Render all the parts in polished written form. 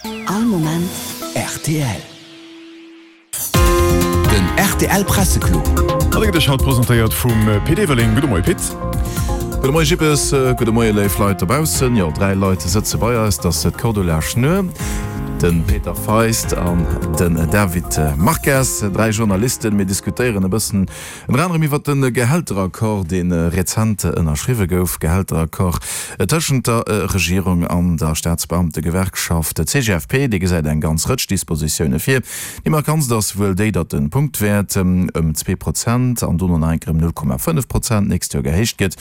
All Moment rtl. Den rtl Presseclub. An dee gëtt iech haut presentéiert vum Pit Everling. Gudde Moie Pit. Gudde Moie Jippes, gudde Moie léif Leit dobaussen. Jo, 3 Leit sëtze bei eis, dat ass d'Cordula Schnur, de Peter Feist an den David Marques, 3 Journalisten. Mir diskutéieren e bëssen Ënner anerem iwwer de Gehälteraccord, dee rezent ënnerschriwwe gouf. Gehälteraccord tëschent der Regierung an der Staatsbeamtegewerkschaft CGFP. Dee gesäit eng ganz Rëtsch Dispositioune vir. Déi markantst ass wuel déi, datt de Punktwäert ëm 2 Prozent an dono nach eng Kéier ëm 0,5 Prozent d'nächst Joer gehéicht gëtt.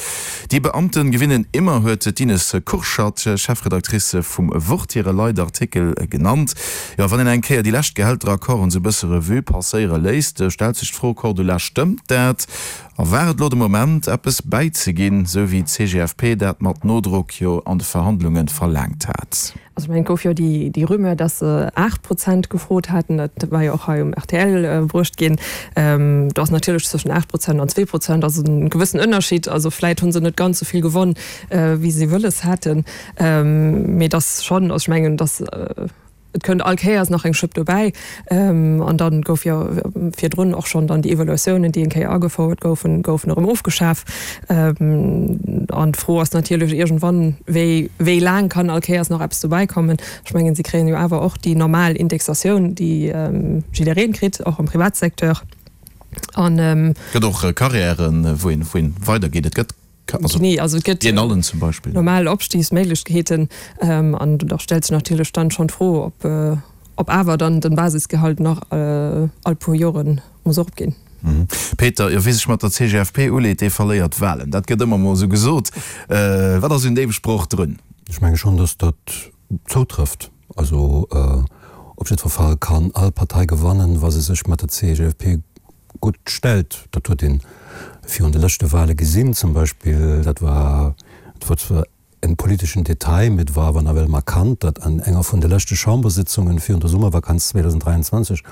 Die Beamten gewinnen immer huet d'Ines Kurschat, Chefredactrice vum Wort, hire Leitartikel genannt. Jo, wann een eng Kéier déi lescht Gehälteraccorden esou e bësse Revue passéiere léisst, stellt sech d'Fro, Cordula, stëmmt dat? A war et elo de Moment, eppes bäizeginn, esou wéi d'CGFP dat mat Nodrock jo an de Verhandlunge verlaangt hat? Also ech mengen, et gouf jo déi Rumeur, datt se 8 Prozent gefrot haten. Dat war jo och hei um rtl bruecht ginn. Do ass natierlech zwëschen 8 Prozent an 2 Prozent ass e gewëssen Ënnerschied. Also vläit hu se net ganz esou vill gewonn, wéi se wëlles haten. Mee et ass schonn, also ech mengen, datt et kënnt all Kéiers nach eng Schëpp dobäi. An da gouf jo virdrun och schonn dann déi Evaluatiounen, déi eng Kéier agefouert goufen, goufen erëm ofgeschaf. An d'Fro ass natierlech iergendwann, wéi, wéi laang kann all Kéiers nach eppes dobäi kommen? Ech mengen, si kréien jo awer och déi normal Indexatioun, déi jiddereen kritt, och am Privatsecteur. An. Et gëtt och Carrièren, wou een, wou een weidergeet. Et gëtt. Also, also et gëtt allen zum Beispill normal Opstigsméiglechkeeten an da stellt sech natierlech dann schonn d'Fro, ob, ob awer dann den Basisgehalt nach all puer Joren muss eropginn. Peter, jo, wie sech mat der CGFP uleet, dee verléiert d'Wahlen. Dat gëtt ëmmer mol esou gesot. Wat ass un deem Sproch drun? Ech menge schonn, datt dat zoutrëfft. Also op jiddwer Fall kann all Partei gewannen, wa se sech mat der CGFP gutt stellt. Dat huet ee virun de leschte Wahle gesinn zum Beispill. Dat war, et war zwar en politeschen Detail, mee et war awer nawell markant, datt an enger vun de leschte Chambersitzungen virun der Summervakanz 2023,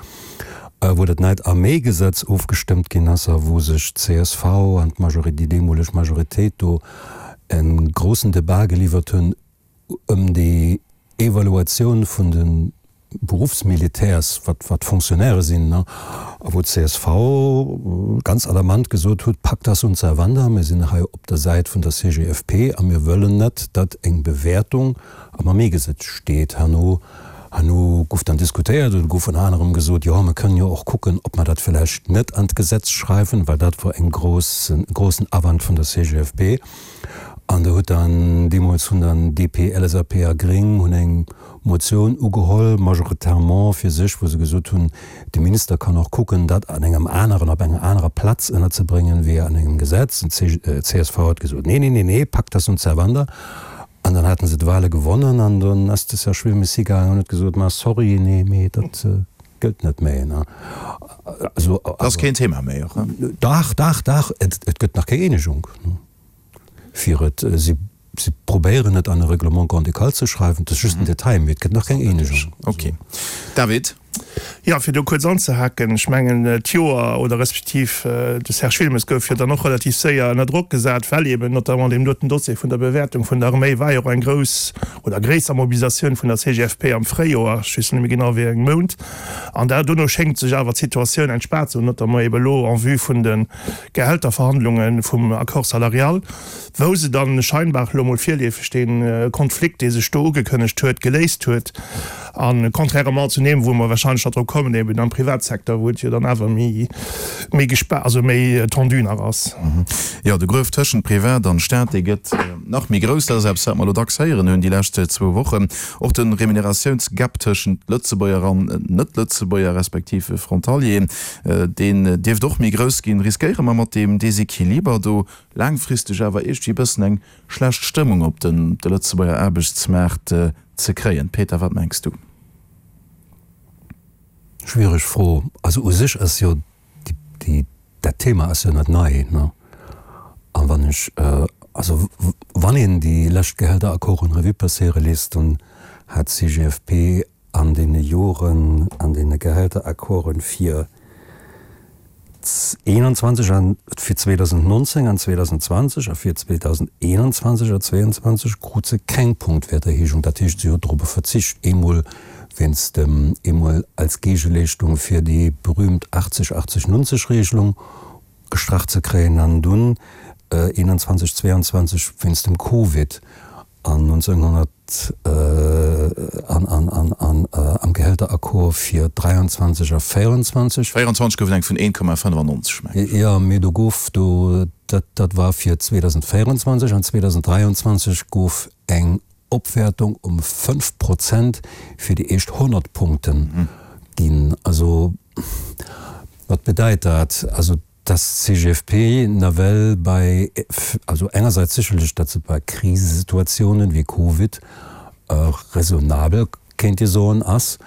wou dat neit Arméigesetz ofgestëmmt ginn ass a wou sech d'CSV an d'Majori-, déi deemoleg Majoritéit do e groussen Debat geliwwert hunn, ëm déi Evaluatioun vun de Beruffsmilitärs, wat wat Fonctionnairë sinn, a wou d'CSV ganz alarmant gesot huet, Pacta sunt servanda, mir sinn hei op der Säit vun der CGFP a mir wëllen net, datt eng Bewäertung am Arméigesetz steet. Herno, herno gouf dann diskutéiert oder gouf ënner anerem gesot, jo, mir kënnen jo och kucken, ob mer dat vläicht net an d'Gesetz schreiwen, well dat wor eng grouss, e groussen Awand vun der CGFP. An do huet dann, deemools hunn dann DP, LSAP a Gréng hunn eng Motioun ugeholl, majoritairement fir sech, wou se gesot hunn, de Minister kann och kucken, dat an engem aneren, op enger anerer Platz ënnerzebréngen, wéi an engem Gesetz. An d'CSV huet gesot, Nee, nee, nee, nee, pacta sunt servanda. An dann haten se d'Wahle gewonnen an dann ass de Serge Wilmes higaangen an huet gesot, Ma sorry, nee, mee dat gëllt net méi. Also. Dat ass keen Thema méi, och? Dach, dach, dach, et gëtt nach keng Eenegung. Fir et, si si probéieren et an e Règlement grand-ducal ze schreiwen, dat ass just en Detail, mee et gëtt nach keng Eenegung. Ok. David? Jo, fir do kuerz anzehaken, ech mengen d'Joer oder respektiv de Serge Wilmes gouf jo dann och relativ séier ënner Drock gesat, well eeben notamment deem doten Dossier vun der Bewäertung vun der Arméi war jo och eng grouss oder gréisser Mobilisatioun vun der CGFP am Fréijoer, ech weess net méi genau wéi engem Mount. An da dono schéngt sech awer d'Situatioun entspaant ze hunn, notamment eeben elo en vue vun de Gehälterverhandlunge vum Accord salarial, wou se dann scheinbar elo mol virleefeg dee Konflikt, dee sech do ugekënnegt huet, geléist huet. A contrairement zu deem, wou mer wahrscheinlech nach drop kommen, eben am Privatsecteur, wou et jo dann awer méi, méi gespa-, also méi tendu nach ass. Jo, de Gruef tëschent Privat an Staat, dee gëtt nach méi grouss. Dat ass eppes, wat mer elo dacks héieren hunn déi lescht zwou Wochen. Och de Remuneratiounsgap tëschent Lëtzebuerger an Net-Lëtzebuerger, respektiv Frontalieren, Deen dierft och méi grouss ginn. Riskéiere mer mat deem Desequiliber do laangfristeg awer iergendwéi e bëssen eng schlecht Stëmmung op de Lëtzebuerger Aarbechtsmaart ze kréien? Peter, wat mengs du? Schwiereg Fro. Also u sech ass jo déi, dat Thema ass jo net nei, ne? A wann ech, also wann een déi lescht Gehälteraccorden Revue passéiere léisst, dann hat d'CGFP an deene Joren an deene Gehälteraccorden fir 21 an fir 2019 an 2020 a fir 2021 a 2022 krut se keng Punktwäerterhéijung. Dat heescht, si huet dorobber verzicht, eemol. wéinst dem eemol als Géigeleeschtung fir déi berühmt 80, 80, 90 Regelung gestrach ze kréien an dunn 21, 22 wéinst dem Covid an 1900 an an an an am Gehälteraccord fir 23 a 24. 24 gouf et eng vun 1,95, meng ech. Jo, mee do gouf do, dat dat war fir 2024 an 2023 gouf eng Opwäertung um 5 Prozent fir déi éischt 100 Punkten ginn. Also, wat bedeit dat? Also, dass d'CGFP nawell bei, also engersäits sécherlech, datt se bei Krisesituatiounen wéi Covid raisonnabel, kéint ee soen, ass,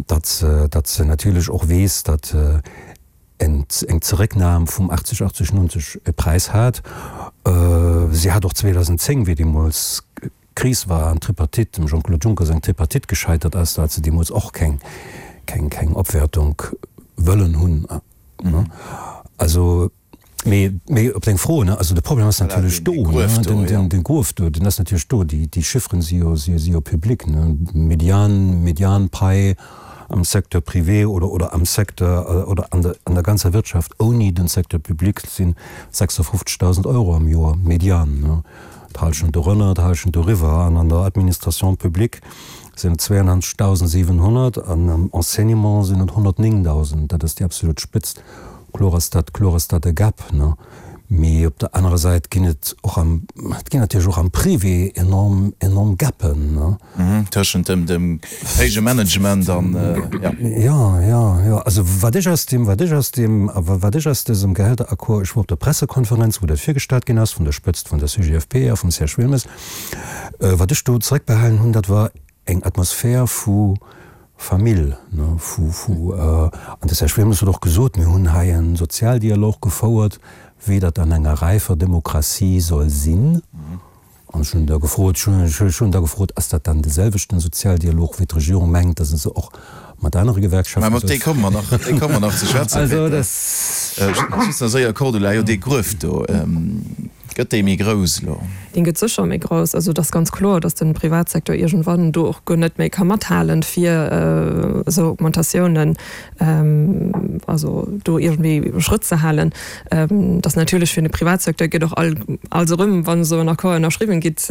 datt se, datt se natierlech och weess, datt eng Zerécknam vum 80, 80, 90 e Präis hat. Si hat och 2010, wéi deemools d'Kris war an d'Tripartite, dem Jean-Claude Juncker seng Tripartite gescheitert ass, do hat se deemools och keng, keng, keng Opwäertung wëllen hunn. Also, mee, mee op deng Fro, ne, also de Problem ass natierlech do, ne, den, den, den Gruef do, deen ass natierlech do. Déi, déi Chiffren si jo, si, si jo public, ne, Median, Medianpai am Secteur privé oder, oder am Secteur, oder an der, an der ganzer Wirtschaft ouni den Secteur public sinn 56.000 Euro am Joer, Median, ne, d'Halschent dorënner, d'Halschent doriwwer. An an der Administration publique sinn et 92.700 an am Enseignement sinn et 109.000. Dat ass déi absolut Spëtzt. Kloer ass dat, kloer ass dat e Gap, ne? Mee op der anerer Säit ginn et och am, et ginn natierlech och am Privé enorm, enorm Gappen, ne? Tëschent dem, dem héije Management an, ja. Jo, jo, jo. Also wat ech aus deem, wat ech aus deem, wat ech aus dësem Gehälteraccord, ech wor op der Pressekonferenz, wou dat virgestallt ginn ass vun der Spëtzt vun der CGFP a vum Serge Wilmes, wat ech do zeréckbehalen hunn, dat war eng Atmosphär vu Famill, ne, vu, vu, an de Serge Wilmes huet och gesot, mir hunn hei e Sozialdialog gefouert, wéi dat an enger räifer Demokratie soll sinn. An ech hunn da gefrot, ech hunn da gefrot, ass dat dann de selwechten Sozialdialog, wéi d'Regierung mengt, datt se och mat anere Gewerkschafte soll. Mä op dee komme mer nach, dee komme mer nach ze schwätzen, Peter. Also, dat. Just nach séier, Cordula, jo, dee Gruef do. Gëtt déi méi grouss elo? Deen gëtt sécher méi grouss. Also et ass ganz kloer, datt de Privatsecteur iergendwann do och guer net méi ka mathalen, fir esou Augmentatiounen, also do iergendwéi Schrëtt ze halen. Et ass natierlech fir de Privatsecteur gëtt och all als erëm, wann esou en Accord ënnerschriwwen gitt,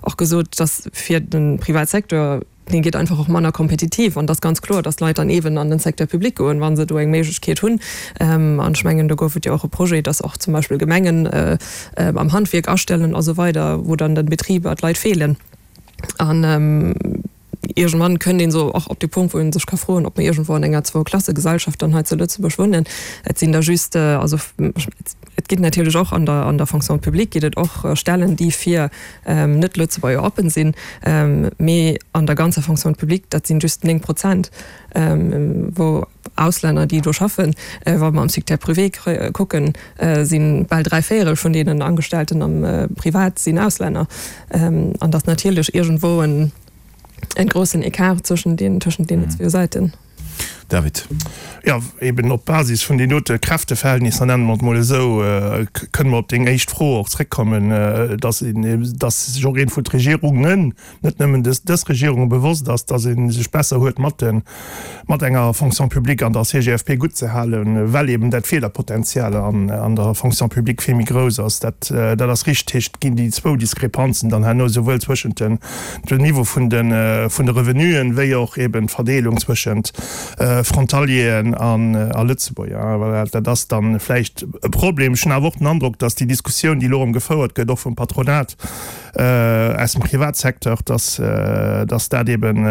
och gesot, datt fir de Privatsecteur, Dee gétt einfach och manner kompetitiv. An et ass ganz kloer, dass d'Leit dann eeben an den Secteur public goen, wa se do eng Méiglechkeet hunn. An ech mengen, do gouf et jo och e Projet, dass och zum Beispill Gemengen am Handwierk astellen a sou weider, wou dann den Betriber d'Leit feelen. An iergendwann kënnt een esou och op de Punkt, wou ee sech ka froen, ob mer iergendwou an enger Zwou-Klasse-Gesellschaft dann hei zu Lëtzebuerg wunnen. Et sinn der just, also et ginn natierlech och an der, an der Fonction publique gétt et och Stellen, déi fir Net-Lëtzebuerger oppen sinn, mee an der ganzer Fonction publique, dat sinn just 9 Prozent, wou Auslänner, déi do schaffen. Wa mer am Secteur privé kucken, si bal dräivéierel vun deenen Angestellten am Privat sinn Auslänner. An dat ass natierlech iergendwou en groussen Ecart zwëschen deenen zwou Säiten. David. Jo, eben op Basis vun deenen dote Kräfteverhältnisser, nenne mer et mol esou, kënne mer op deng éischt Fro och zréckkommen, dass een, dass sech och een vun d'Regierungen, net nëmmen dës, dës Regierung, bewosst ass, dass ee sech besser huet mat de, mat enger Fonction publique an der CGFP gutt ze halen, well eben dat Feelerpotenzial an, an der Fonction publique vill méi grouss ass. Dat, dat ass richtig. Et ginn déi zwou Diskrepanzen dann herno souwuel zwëschent den, den Niveau vun de vun de Revenuen, wéi och eben d'Verdeelung zwëschent Frontalieren an a Lëtzebuerger. Voilà, dat ass dann vläicht e Problem. Ech hunn awer och den Androck, datt déi Diskussioun, déi elo erëm gefouert gëtt, och vum Patronat aus dem Privatsecteur, datt datt dat eben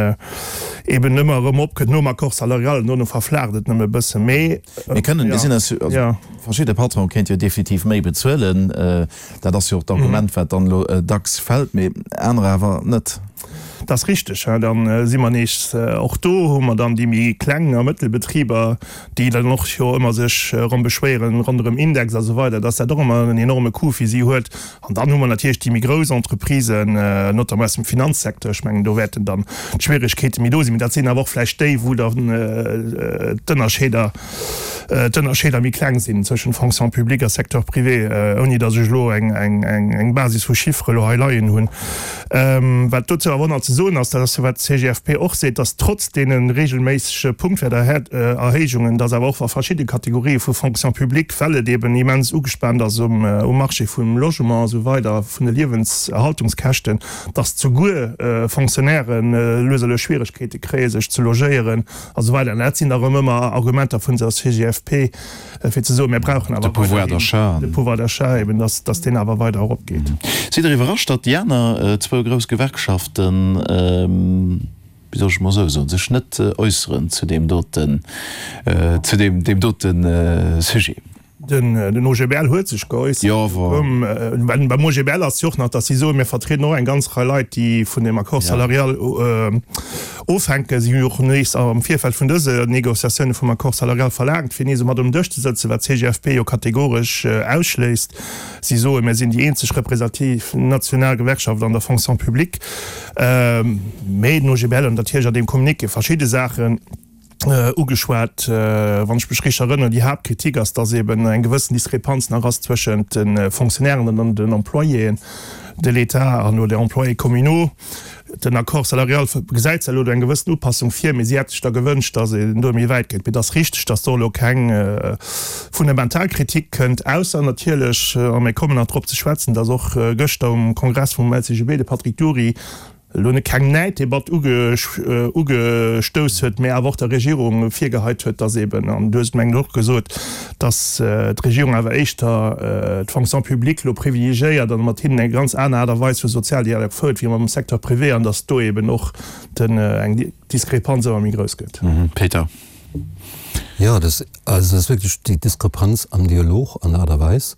eben ëmmer erëm opkënnt nom Accord salarial, an dono verflaacht et nëmme e bësse. Mee Mir kënnen, mir sinn eis, also verschidde Patronen kéinte jo definitiv méi bezuelen. Dat ass jo och d'Argument, wat dann elo dacks fält, mee anerer awer net. Dat ass richteg. Da si mer nees och do, hu mer dann déi méi kleng a mëttel Betriber, déi dann och jo ëmmer sech erëm beschwéieren ronderëm Index a sou weider, dass dat och ëmmer en enorme Coût fir si huet. An dann hu mer natierlech déi méi grouss Entreprisen, notamment aus dem Finanzsecteur. Ech mengen, do wäerten dann d'Schwieregkeete méi do sinn. Mee dat sinn awer och vläicht déi, wou dann d'Ënnerscheeder. d'Ënnerscheeder méi kleng sinn zwëschent Fonction publique a Secteur privé, ouni datt ech elo eng Basis vu Chiffere elo hei leien hunn. Wat dozou awer och nach ze soen ass, dat ass jo wat d'CGFP och seet, datt trotz deene regelméissege Punktwäerterhéijungen, datt awer och wa verschidde Kategorië vu Fonction publique, well et eben immens ugespaant ass um Marché vum Logement a sou weider, vun de Liewenserhaltungskäschten, datt souguer Fonctionnairen lues a lues Schwieregkeete kréie sech ze logéieren a sou weider. An dat sinn da rëm ëmmer Argumenter vun der CGFP, fir ze soen, mir brauchen awer weiderhin de Pouvoir d'achat, eben datt, datt deen awer weider eropgeet. Sidd Der iwwerrascht, datt déi aner zwou grouss Gewerkschaften, wéi soll ech emol esou soen, sech net äusseren zu deem doten, zu deem, deem dote Sujet? Den OGBL huet sech geäussert. Beim OGBL ass jo och nach, datt si soen, mir vertrieden och eng ganz Rei Leit, déi vun deem Accord salarial ofhänken. Si hu jo och nees am Virfeld vun dëse Négociatioune vum Accord salarial verlaangt, fir nees mat um Dësch ze sëtzen, wat d'CGFP jo kategoresch ausschléisst. Si soen, mir sinn déi eenzeg representativ national Gewerkschaft an der Fonction publique. Mee den OGBL huet natierlech an deem Communiqué verschidde Saachen ugeschwat. Wann ech mech richteg erënneren, déi Haaptkritik ass, dass eben eng gewëssen Diskrepanz nach ass zwëschent de Fonctionnairen an den Employéen de l'État an oder Employés communaux. Den Accord salarial gesäit zwar elo do eng gewëssen Upassung vir, mee si hätt sech da gewënscht, dass een do méi wäit geet. Mee et ass richteg, dass do elo keng fundamental Kritik kënnt, ausser natierlech, a mir kommen nach drop ze schwätzen, dass och gëschter um Kongress vum LCGB de Patrick Dury elo net keng Näiddebatt ugestouss huet, mä awer och der Regierung virgeheit huet, dass eben, an du hues et mengen ech och gesot, dass d'Regierung awer éischter d'Fonction publique elo privilegiéiert an mat hinnen eng ganz aner Aart a Weis vu Sozialdialog fouert wéi mam Secteur privé an dass do eben och eng Diskrepanz ëmmer méi grouss gëtt. Peter. Jo, dat ass wierklech déi Diskrepanz am Dialog an der Aart a Weis.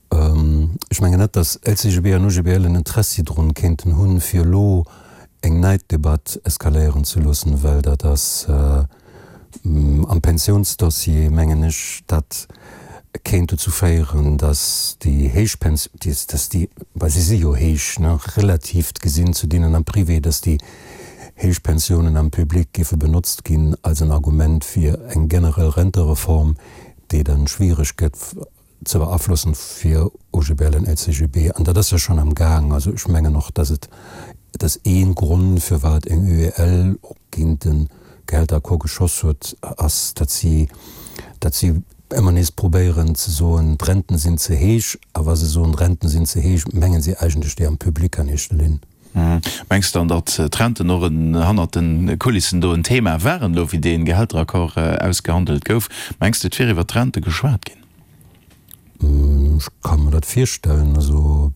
Ech mengen net, datt LCGB an OGBL en Interessi drun kéinten hunn, fir elo eng Neiddebatt eskaléieren ze loossen, well dat ass am Pensiounsdossier, mengen ech, dat kéint dozou féieren, datt déi héich Pens-, datt déi, well se si jo héich, ne, relativ gesinn zu deenen am Privé, datt déi héich Pensiounen am Public géife benotzt ginn als en Argument fir eng generell Rentereform, déi dann schwiereg gëtt ze beaflossen fir OGBL an LCGB, an dat ass jo schonn am Gaang. Also ech mengen och, dass et, dass ee Grond, firwat eng UEL och géint de Gehälteraccord geschoss huet, ass, datt si, datt si ëmmer nees probéieren ze soen, d'Renten sinn ze héich. A wa se soen, d'Renten sinn ze héich, mengen si eigentlech déi am Public an éischter Linn. Mengs de dann, datt d'Renten och en hannert de Kulissen do en Thema waren, elo wéi dee Gehälteraccord ausgehandelt gouf? Mengs de, et wier iwwer d'Rente geschwat ginn? Ech ka mer dat virstellen. Also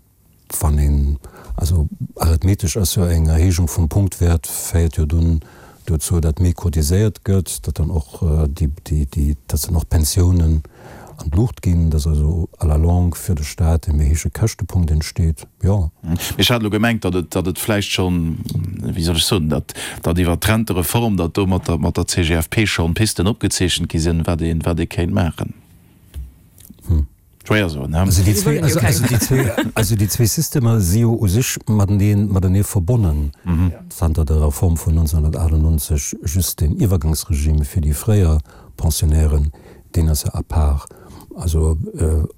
wann een, also arithmetesch ass jo eng Erhéijung vum Punktwäert féiert jo dunn dozou, datt méi cotiséiert gëtt, datt dann och déi, déi, datt dann och d'Pensiounen an d'Luucht ginn, datt also à la longue fir de Staat e méi héije Käschtepunkt entsteet, jo. Mee ech hat elo gemengt, datt et, datt et vläicht schonn, wéi soll ech soen, datt, datt iwwert d'Rentereform, datt do mat der, mat der CGFP schonn Pisten opgezeechent gi sinn, wat ee, wat ee kéint maachen. Schwéier soen, he? Also déi zwee, also, also déi zwee, also déi zwee Systemer si jo u sech mateneen, matenee verbonnen. Zanter der Reform vun 1998 just deen Iwwergangsregime fir déi fréier Pensionnairen, deen ass jo à part. Also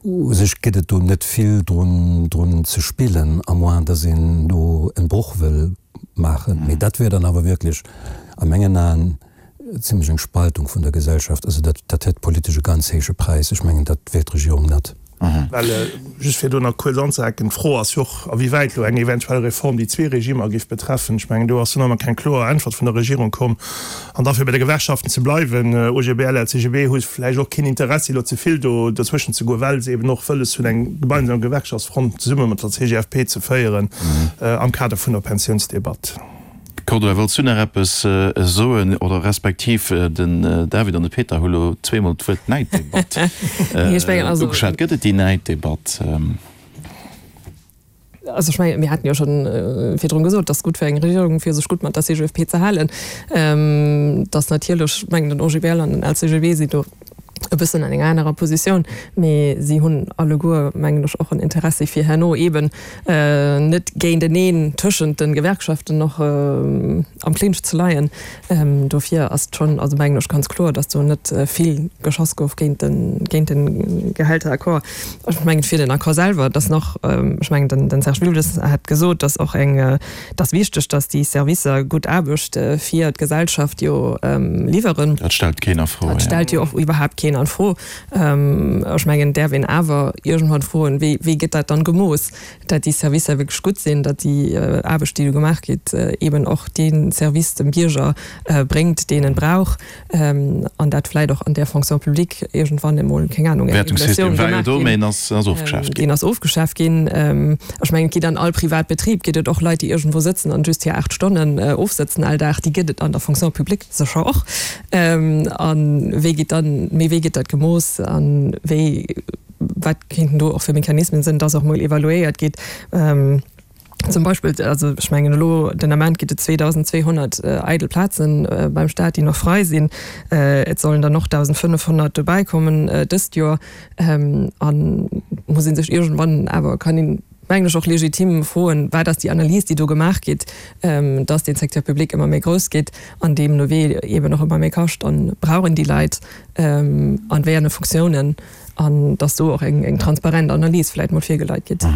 u sech gëtt et do net vill drun, drun ze spillen, à moins dass een do en Broch wëll maachen. Mee dat wier dann awer wierklech a mengen Aen zimlech eng Spaltung vun der Gesellschaft. Also dat, dat hätt politesch e ganz héije Präis. Ech mengen, dat wéilt d'Regierung net. Well, just fir do nach kuerz anzehaken, d'Fro ass jo och, a wéi wäit elo eng eventuell Reform déi zwee Regimer géif betreffen. Ech mengen, do ass jo nach ëmmer keng kloer Äntwert vun der Regierung komm. An da fir bei de Gewerkschaften ze bleiwen, OGBL, LCGB hu vläicht och keen Interessi elo ze vill do dozwëschen ze goen, well se eben och wëlles hunn, eng gemeinsam Gewerkschaftsfront zesumme mat der CGFP ze féieren am Kader vun der Pensiounsdebatt. Cordula, wollts du nach eppes soen? Oder respektiv den David an de Peter hu lo zweemol d'Wuert Näiddebatt ugeschwat. Gëtt et déi Näiddebatt? Also ech mengen, mir haten jo schonn virdrun gesot, dass gutt fir eng Regierung, fir sech gutt mat der CGFP ze halen. Dass natierlech, ech mengen, den OGBL an den LCGB sinn do. E bëssen an enger anerer Positioun, mee si hunn alleguer, mengen ech, och en Interessi fir herno eeben net géinteneen tëschent de Gewerkschaften och am Clinch ze leien. Dofir ass et schonn, also mengen ech, ganz kloer, datt do net vill geschoss gouf géint de, géint de Gehälteraccord. Ech mengen, fir den Accord selwer, et ass nach, ech mengen, den Serge Wilmes hat gesot, datt och eng, Et ass wichteg, datt déi Servicer gutt Aarbecht fir d'Gesellschaft jo liwweren. Dat stellt keen a Fro. Dat stellt jo och iwwerhaapt keen an Fro. Ech mengen, et däerf een awer iergendwann froen, wéi, wéi gëtt dat dann gemooss, datt déi Servicer wierklech gutt sinn, datt déi Aarbecht, déi do gemaach gétt, eeben och dee Service dem Bierger bréngt, deen en brauch. An dat vläit och an där Fonction publique iergendwann emol, keng Anung, eng Evaluatioun gemaach ginn. Deen ass ofgeschaaft ginn. Deen ass ofgeschaaft ginn. Ech mengen, et geet an all Privatbetrib, geet et och Leit, déi iergendwou sëtzen an just hir 8 Stonnen ofsëtzen all Dag. Déi gëtt et an der Fonction publique sécher och. A wéi geet dann, mee wéi gëtt dat gemooss a wéi, wat kéinten do och fir Mechanismen sinn, dass och mol evaluéiert geet? Zum Beispill, also ech mengen elo den Ament gitt et 2.200 eidel Plazen beim Staat, déi nach frei sinn. Et sollen der nach 1.500 dobäi kommen dëst Joer. An muss ee sech iergendwann awer, kann een mengen ech och legitim froen, wat ass déi Analys, déi do gemaach gétt, dass dee Secteur public ëmmer méi grouss gétt an deemno wee eeben och ëmmer méi kascht an brauchen déi Leit an wéi enge Funktiounen? An dass do och eng transparent Analys vläit mol virgeleit gitt.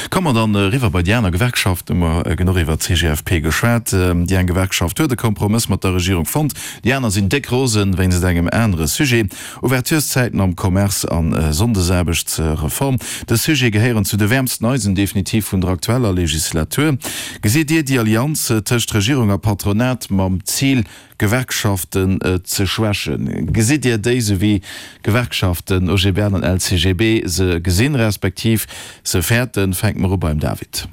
Komme mer dann eriwwer bei déi aner Gewerkschaft. Hu mer genuch iwwert d'CGFP geschwat. Déi eng Gewerkschaft huet e Kompromëss mat der Regierung fonnt, déi aner sinn déck rosen wéinst engem anere Sujet, Ouvertureszäiten am Commerce an Sonndesaarbechtsreform. Dës Sujete gehéieren zu de wäermsten Eisen definitiv vun der aktueller Legislatur. Gesitt Dir déi Allianz tëscht Regierung a Patronat mam Zil, Gewerkschaften ze schwächen. Gesitt Dir déi sou wéi Gewerkschaften, OGBL an LCGB, se gesinn, respektiv se fäerten? Fänke mer u beim David.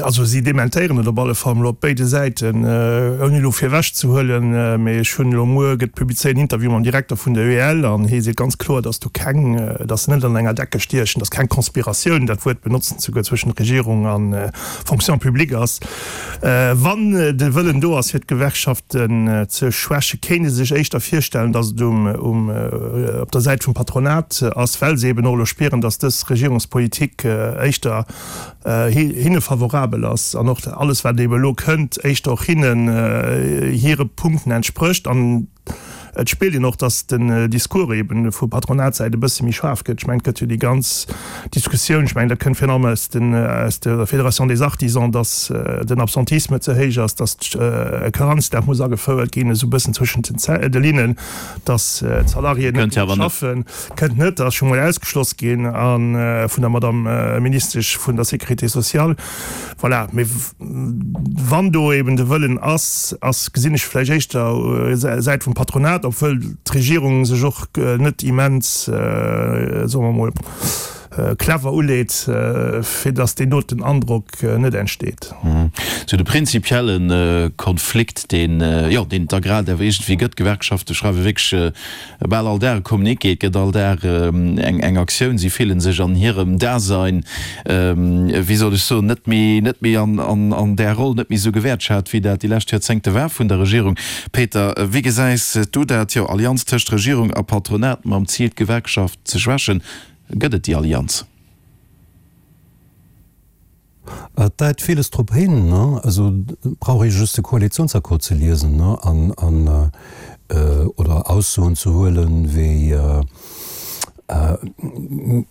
Also si dementéieren et op alle Fall mol op béide Säiten, ouni elo virwech ze huelen, mee ech hunn elo muer gëtt publizéiert en Interview mam Direkter vun der UEL an hie seet ganz kloer, datt do keng, datt se net an enger Decke stiechen, datt keng Conspiratioun, dat Wuert benotzen se souguer, zwëschen Regierung a Fonction publique ass. Wann de Wëllen do ass fir d'Gewerkschaften ze schwächen, kéint ee sech éischter virstellen, datt et um op der Säit vum Patronat ass, well se eben och elo spieren, datt dës Regierungspolitik éischter hinne favorabel ass an och alles wat eben elo kënnt éischter och hinnen hire Punkten entsprécht. An Et spiert een och, datt den Discours eben vu Patronatssäit e bësse méi schaarf gëtt. Ech mengen, et gëtt jo déi ganz Diskussioun, ech mengen, dat kënnt virun allem aus den, aus der Fédération des Artisans, datt den Absentisme ze héich ass, datt e Karenzdag muss agefouert ginn, esou e bëssen zwëschent den de Linnen, datt d'Salariéen net genuch schaffen. Kënnt net, ass scho mol ausgeschloss ginn a vun der Madame Ministesch vun der Sécurité sociale. Voilà, mee wann do eben de Wëllen ass, ass, gesinn ech vläicht éischter Säit vum Patronat, obwuel d'Regierung sech och net immens, soe mer emol, clever uleet, fir datt deen doten Androck net entsteet. Sou de prinzipielle Konflikt, deen, jo, deen et da grad awer iergendwéi gëtt, d'Gewerkschafte schreiwe wierklech Bal all Dag e Communiqué, et gëtt all Dag eng Aktioun. Si fillen sech an hirem Dasein, wéi soll ech soen, net méi, net méi an där Roll, net méi esou gewäertschat, wéi dat déi lescht Joerzéngte war vun der Regierung. Peter, wéi gesäis du dat? Jo, Allianz tëscht Regierung a Patronat mam Zil, d'Gewerkschaft ze schwächen. Gëtt et déi Allianz? Et deit villes drop hin, ne? Also brauch ee just de Koalitionsaccord ze liesen, ne, an, an, oder Aussoen ze huelen, wéi,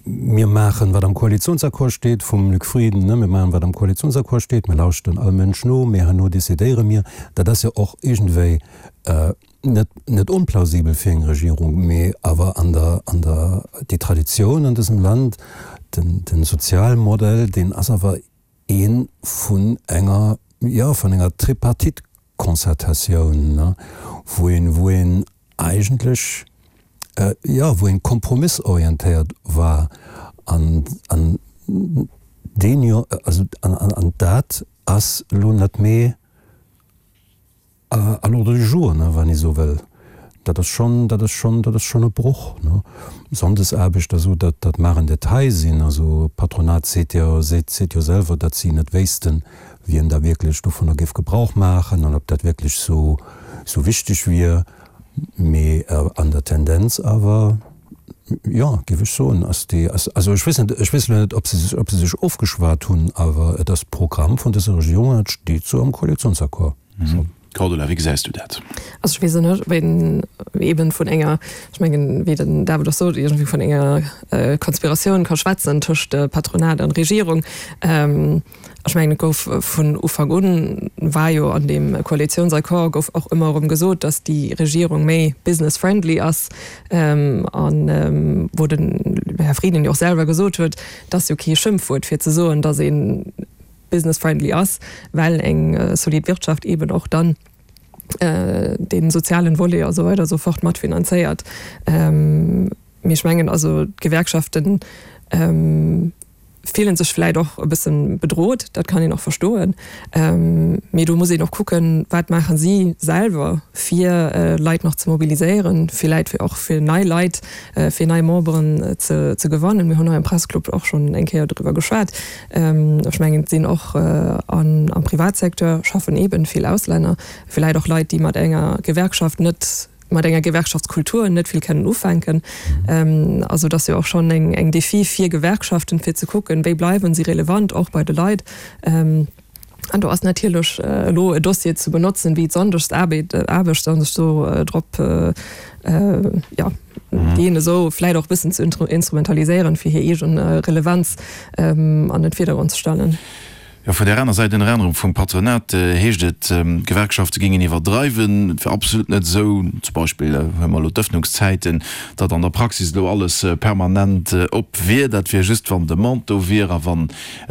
Mir maachen, wat am Koalitionsaccord steet, vum Luc Frieden, ne, mir maachen, wat am Koalitionsaccord steet, mir lauschten all Mënsch no, mee herno decidéiere mir. Dat ass jo och iergendwéi net, net onplausibel fir eng Regierung, mee awer an der, an der, déi Traditioun an dësem Land, den, den Sozialmodell, deen ass awer ee vun enger, jo, vun enger Tripartite-Concertatioun, ne, wou een, wou een eigentlech, jo, wou een kompromissorientéiert war an, an deen jo, also, an, an, an dat ass elo net méi, À l'ordre du jour, ne, wann ee sou wëll. Dat ass schonn, dat ass schonn, dat ass schonn e Broch, ne. Sonndesaarbecht a sou, dat, dat mag en Detail sinn. Also d'Patronat seet jo, seet, seet jo selwer, datt si net wéissten, wien da wierklech dovunner géif Gebrauch maachen an ob dat wierklech sou, sou wichteg wier. Mee an der Tendenz awer, jo, géif ech soen, ass déi, ass, also ech weess net, ech weess elo net, ob se, ob se sech ofgeschwat hunn, awer et ass d'Programm vun dëser Regierung an et steet sou am Koalitionsaccord schonn. Cordula, wéi gesäis du dat? Also ech weess et net, ob een eeben vun enger, ech mengen, wéi den David och sot, iergendwéi vun enger Konspiratioun ka schwätzen tëscht Patronat an Regierung. Ech mengen, et gouf vun Ufank un, war jo an deem Koalitionsaccord gouf och ëmmer erëm gesot, datt déi Regierung méi business friendly ass an wou den Här Frieden jo och selwer gesot huet, et ass jo kee Schëmpfwuert fir ze soen, datt ee business friendly ass, well eng solid Wirtschaft eeben och dann dee sozialen Volet a sou weider a sou fort matfinanzéiert. Mee ech mengen also d'Gewerkschaften fillen sech vläit och e bësse bedrot, dat kann een och verstoen. Mee do muss een och kucken, wat maache si selwer fir Leit nach ze mobiliséieren, villäit fir och fir nei Leit, fir nei Memberen ze gewannen. Mir hunn hei am Presseclub och schonn eng Kéier driwwer geschwat. Ech mengen, et sinn och am Privatsecteur schaffen eeben vill Auslänner, villäit och Leit, déi mat enger Gewerkschaft net, mat enger Gewerkschaftskultur net vill kennen ufänken. Also et ass jo och schonn eng Défi fir Gewerkschaften, fir ze kucken, wéi bleiwen si relevant och bei de Leit. An do ass natierlech elo e Dossier ze benotzen, wéi d'Sonndegsaarbecht a sech do drop, jo, deen esou vläicht och e bëssen ze instrumentaliséieren, fir hir eegen Relevanz an den Virdergrond ze stellen. Jo, vun där aner Säit, ënner anerem vum Patronat, heescht et, d'Gewerkschafte géingen iwwerdreiwen. Et wier absolut net esou, zum Beispill huele mer elo d'Ëffnungszäiten, datt an der Praxis elo alles permanent op wier. Dat wier just, wann Demande do wier a wa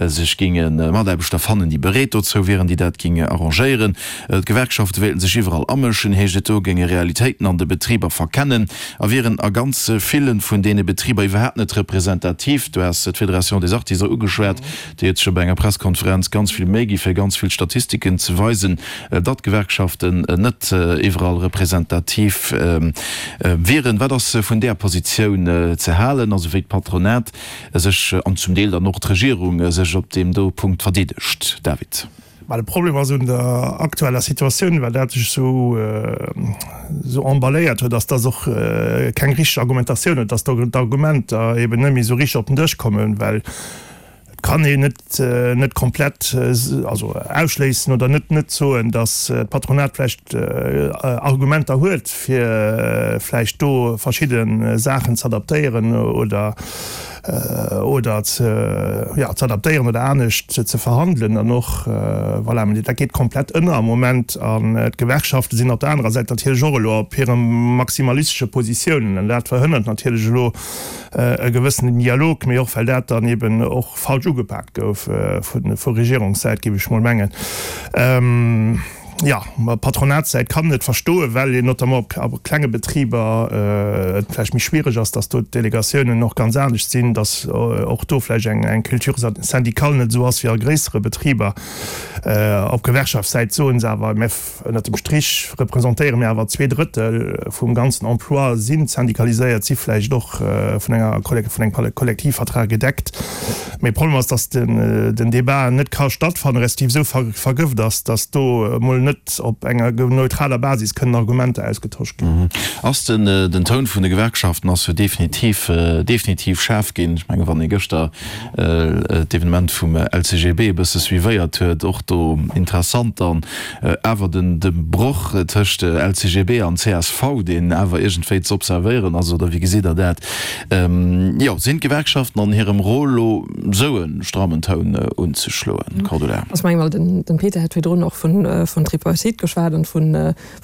sech géinge Mataarbechter fannen, déi bereet dozou wieren, déi dat géinge arrangéieren. D'Gewerkschafte wéilten sech iwwerall amëschen, heescht et do, géinge Realitéiten an de Betriber verkennen a wieren a ganz ville vun deene Betriber iwwerhaapt net representativ. Du has d'Fédération des Artisans ugeschwat. Déi huet sech jo bei enger Presskonferenz ganz vill Méi gi fir ganz vill Statistiken ze weisen, datt d'Gewerkschaften net iwwerall representativ wieren. Wat ass vun där Positioun ze halen, also wéi d'Patronat sech an zum Deel dann och d'Regierung sech op deem do Punkt verdeedegt? David. Mä de Problem ass un der aktueller Situatioun, well dat sech esou esou emballéiert huet, ass, dass och keng richteg Argumentatioun huet, dass d'Argumenter eben net méi esou richteg op den Dësch kommen, well et kann een net net komplett also ausschléissen oder net net soen, dass d'Patronat vläicht Argumenter huet, fir vläicht do verschidde Saachen z'adaptéieren oder oder ze, jo, ze adaptéieren oder anescht ze verhandelen an och, voilà, mä dat geet komplett ënner am Moment an d'Gewerkschafte sinn op der anerer Säit natierlech och elo op hire maximalistesche Positiounen an dat verhënnert natierlech elo e gewëssenen Dialog, mee och well dat dann eben och falsch ugepaakt gouf vu Regierungssäit, géif ech mol mengen. Jo, ma Patronatssäit kann et verstoen, well een notamment op a klenge Betriber et vläicht méi schwiereg ass, datt do d'Delegatiounen och ganz anescht sinn, datt och do vläicht eng eng Culture syndicale net esou ass wéi a gréissere Betriber. Op Gewerkschaftssäit soen se awer, mä ënnert dem Strich representéiere mir awer 2/3 vum ganzen Emploi, si syndicaliséiert, si vläicht och vun enger vun engem Kollektivvertrag gedeckt. Mee Problem ass, dass den Debat net ka stattfannen, respektiv esou vergëft ass, dass do emol net op enger neutraler Basis kënnen Argumenter ausgetosch ginn. Ass den Toun vun de Gewerkschaften ass jo definitiv, definitiv schaarf ginn. Ech mengen, wann ee gëschter d'Evenement vum LCGB e bësse suivéiert huet, och do interessant dann awer den de Broch tëscht LCGB an csv, deen awer iergendwéi ze observéieren ass, oder wéi gesitt Der dat? Jo, sinn d'Gewerkschaften an hirem Rôle lo sou e strammen Toun unzeschloen? Cordula. Ech mengen, well den Peter hat virdrun och vun Tripartite geschwat an vun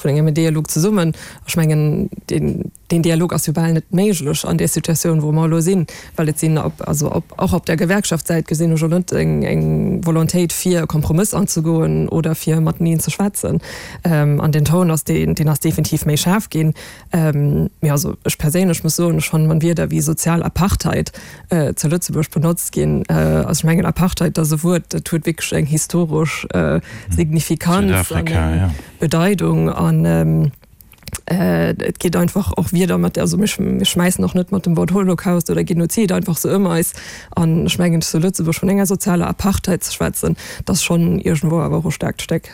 engem Dialog zesummen. Ech mengen, deen Dialog ass jo bal net méiglech an där Situatioun, wou mer elo sinn, well et sinn op, also op, och op der Gewerkschaftssäit gesinn ech elo net eng Volontéit fir e Kompromëss anzegoen oder fir mateneen ze schwätzen. An den Toun ass, deen ass definitiv méi schaarf ginn. Mee also ech perséinlech muss soen, ech fannen, wann Wierder wéi sozial Apartheid zu Lëtzebuerg benotzt ginn, also ech mengen Apartheid, dat ass e Wuert, dat huet wierklech eng historesch Signifikanz an eng Bedeidung an et geet einfach och Wierder mat, also mir schmäissen och net mat dem Wort Holocaust oder Genozid einfach sou ëm eis an ech mengen zu Lëtzebuerg vun enger sozialer Apartheid ze schwätzen, dat ass schonn iergendwou awer och e staarkt Stéck.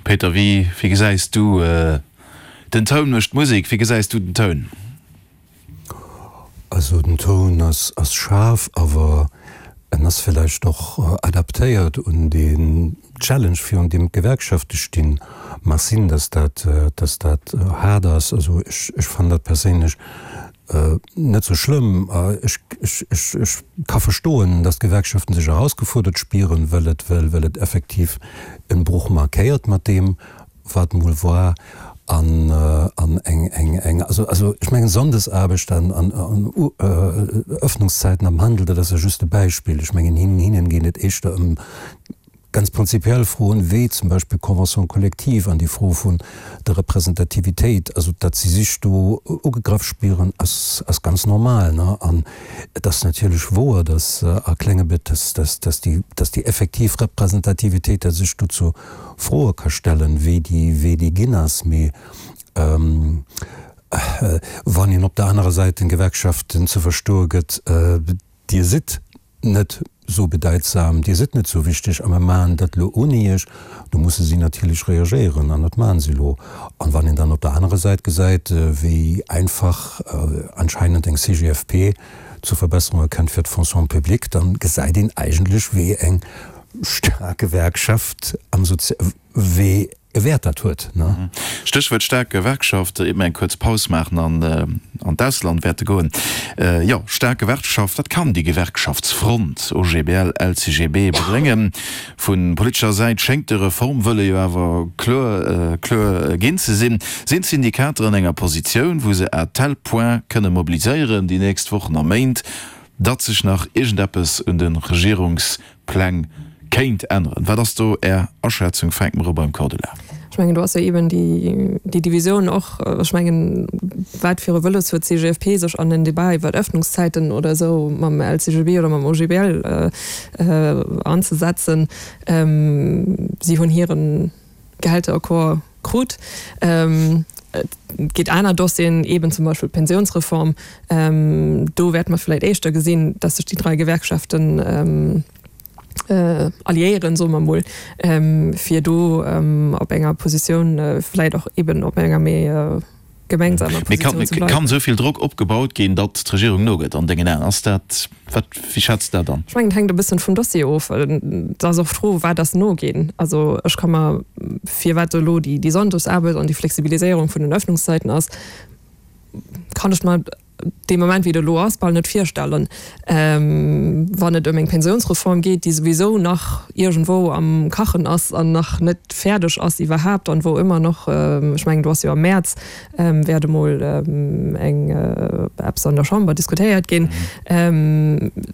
Peter, wéi gesäis du? Den Toun mécht d'Musek. Wéi gesäis du den Toun? Also den Toun ass schaarf, awer en ass villäicht och adaptéiert un deen Challenge virun deem d'Gewerkschafte stinn. Mag sinn, datt dat, datt dat haart ass. Also ech, ech fannen dat perséinlech net sou schlëmm. Ech, ech, ech, ech ka verstoen, datt d'Gewerkschaften sech erausgefuerdert spieren, well et, well, well et effektiv en Bruch markéiert mat deem, wat mol war an an eng eng eng also also ech mengen Sonndesaarbecht an an an Öffnungszeiten am Handel, dat ass jo just e Beispill. Ech mengen hinnen hinnen geet et éischter ëm ganz prinzipiell Froen, wéi zum Beispill d'Convention collective an déi Fro vun der Representativitéit. Also datt si sech do ugegraff spieren, ass ass ganz normal, ne. An et ass natierlech wouer, datt a klenge Bet datt datt datt déi datt déi effektiv Representativitéit, datt sech dozou Froe ka stellen, wéi déi, wéi déi ginn ass. Mee wann een op der anerer Säit den Gewerkschaften ze verstoe gëtt, Dir sidd net esou bedeitsam, Dir sidd net esou wichteg a mer maachen dat elo ouni Iech, do musse si natierlech reagéieren an dat maache se elo. An wann een dann op der anerer Säit gesäit, wéi einfach anscheinend eng CGFP zu Verbesserunge kënnt fir d'Fonction publique, dann gesäit een eigentlech, wéi eng staark Gewerkschaft am Sozi-, wéi e Wäert dat huet, ne? Stéchwuert staark Gewerkschaft, iert mer eng kuerz Paus maachen an an d'Ausland wäerte goen. Jo, staark Gewerkschaft, wat kann déi Gewerkschaftsfront OGBL, LCGB bréngen? Vu politescher Säit schéngt de Reformwëlle jo awer kloer kloer ginn ze sinn. Sinn d'Syndikater an enger Positioun, wou se à tel point kënne mobiliséieren déi nächst Wochen a Méint, datt sech nach iergendeppes un de Regierungspläng kéint änneren? Wat ass do Är Aschätzung? Fänke mer u beim Cordula. Ech mengen, do ass jo eeben déi Divisioun och. Ech mengen, wat fir e Wëlles huet d'CGFP, sech an en Débat iwwer Öffnungszäiten oder esou mam LCGB oder mam OGBL anzesetzen? Si hunn hiren Gehälteraccord krut. Et gétt aner Dossieren, eeben zum Beispill d'Pensionsreform. Do wäerte mer vläicht éischter gesinn, dass sech déi drai Gewerkschaften alliéieren, soe mer emol, fir do op enger Positioun, vläicht och eeben op enger méi gemengsamer Positioun ze bleiwen. Kann esou vill Drock opgebaut ginn, datt d'Regierung nogëtt an dengen Aen? Ass dat, wat, wéi schätz de dat an? Ech mengen, et hänkt e bëssen vum Dossier of. Et ass och d'Fro, wat ass noginn? Also ech ka mer, firwat elo déi Sonndegsaarbecht an déi Flexibiliséierung vun den Öffnungszeiten ass, kann ech mer dee Moment, wéi et elo ass, bal net virstellen, wann et ëm eng Pensionsreform geet, déi souwisou nach iergendwou am Kachen ass an nach net fäerdeg ass iwwerhaapt an wou ëmmer nach, ech mengen, do ass jo am Mäerz wäert emol eng eppes an der Chamber diskutéiert ginn,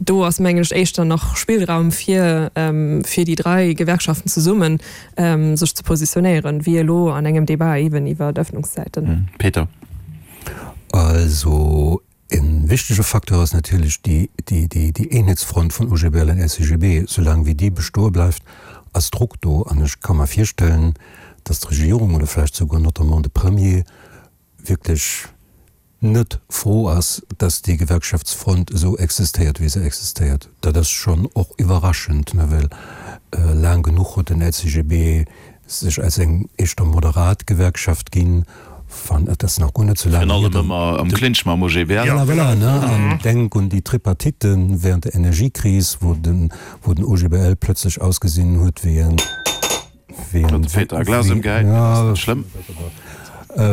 do ass, mengen ech, éischter nach Spillraum fir fir déi drai Gewerkschaften zesummen sech ze positionéieren, wéi elo an engem Débat eeben iwwer d'Öffnungszäiten. Peter. Also e wichtege Facteur ass natierlech déi Eenheetsfront vun OGBL an LCGB. Soulaang wéi déi bestoe bleift, ass Drock do. An ech ka mer virstellen, datt d'Regierung oder vläicht souguer notamment de Premier wierklech net frou ass, datt déi Gewerkschaftsfront esou existéiert, wéi se existéiert. Dat ass schonn och iwwerraschend, well laang genuch huet den LCGB sech als eng éischter moderat Gewerkschaft ginn, wann, et ass nach guer net sou laang hier, Virun allem ëmmer am Clinch mam OGBL. Voilà, voilà, ne, an denk un déi Tripartite während der Energiekris, wou den, wou den OGBL plötzlech ausgesinn huet wéi en, wéi en, Huet de Peter e Glas ëmgehäit, mee dat ass net schlëmm.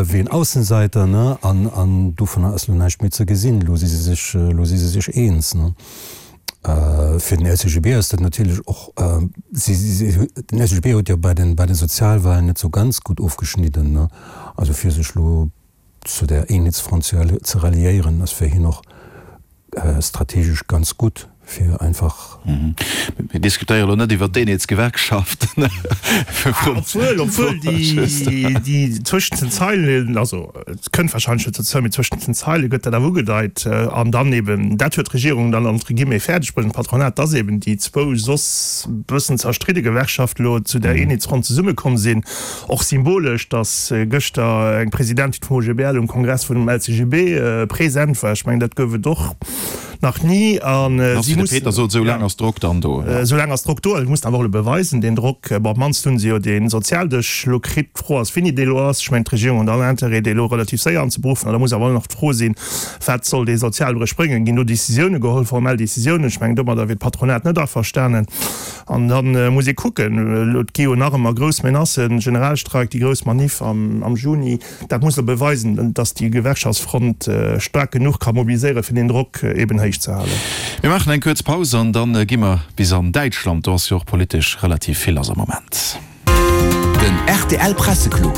Wéi en Aussenseiter, ne, an, an dovunner ass lo näischt méi ze gesinn, lo si se sech, lo si se sech eens, ne. Fir den LCGB ass dat natierlech och, den LCGB huet jo bei den, bei de Sozialwahlen net sou ganz gutt ofgeschnidden, ne. Also fir sech elo zu där Eenheetsfront ze ralliéieren, ass fir hien och strategesch ganz gutt, fir einfach. Mir diskutéiere elo net iwwer d'Eenheetsgewerkschaft. Obwuel, obwuel déi, déi zwëschent den Zeilen, also Et kënnt wahrscheinlech net dozou, mee zwëschent den Zeile gëtt dat awer ugedeit. An dann eben, dat huet d'Regierung dann entre guillemets fäerdeg bruecht, an d'Patronat, dass eben déi zwou soss bëssen zerstridde Gewerkschaften elo zu där Eenheetsfront zesummekomm sinn. Och symbolesch, dass gëschter eng Presidentin vum OGBL um Kongress vun dem LCGB present war. Ech mengen, dat gouf et och. Nach ni. A si mussen. De Peter sot, esou laang ass Drock dann do. Esou laang ass Drock do. A si mussen awer och elo beweisen, deen Drock, bon, op d'mannst hu se jo dee Sozialdësch elo kritt. D'Fro ass, wéini dee elo ass. Ech mengen, d'Regierung huet all Interêt, dee elo relativ séier anzeberuffen. An da muss awer och nach d'Fro sinn, Wat soll dee Sozialbréch bréngen? Ginn do Décisiounen geholl, formell Décisiounen? Ech mengen, domadder wier d'Patronat net averstanen. An da muss ee kucken, elo, et gi jo nach ëmmer grouss Menacen, Generalstreik, déi grouss Maniff am Juni. Dat muss elo beweisen, datt déi Gewerkschaftsfront staark genuch ka mobiliséieren, fir deen Drock eben héich ze halen. Mir maachen eng kuerz Paus an da gi mer bis an Däitschland. Do ass jo och politesch relativ vill lass am Moment. Den rtl Presseclub.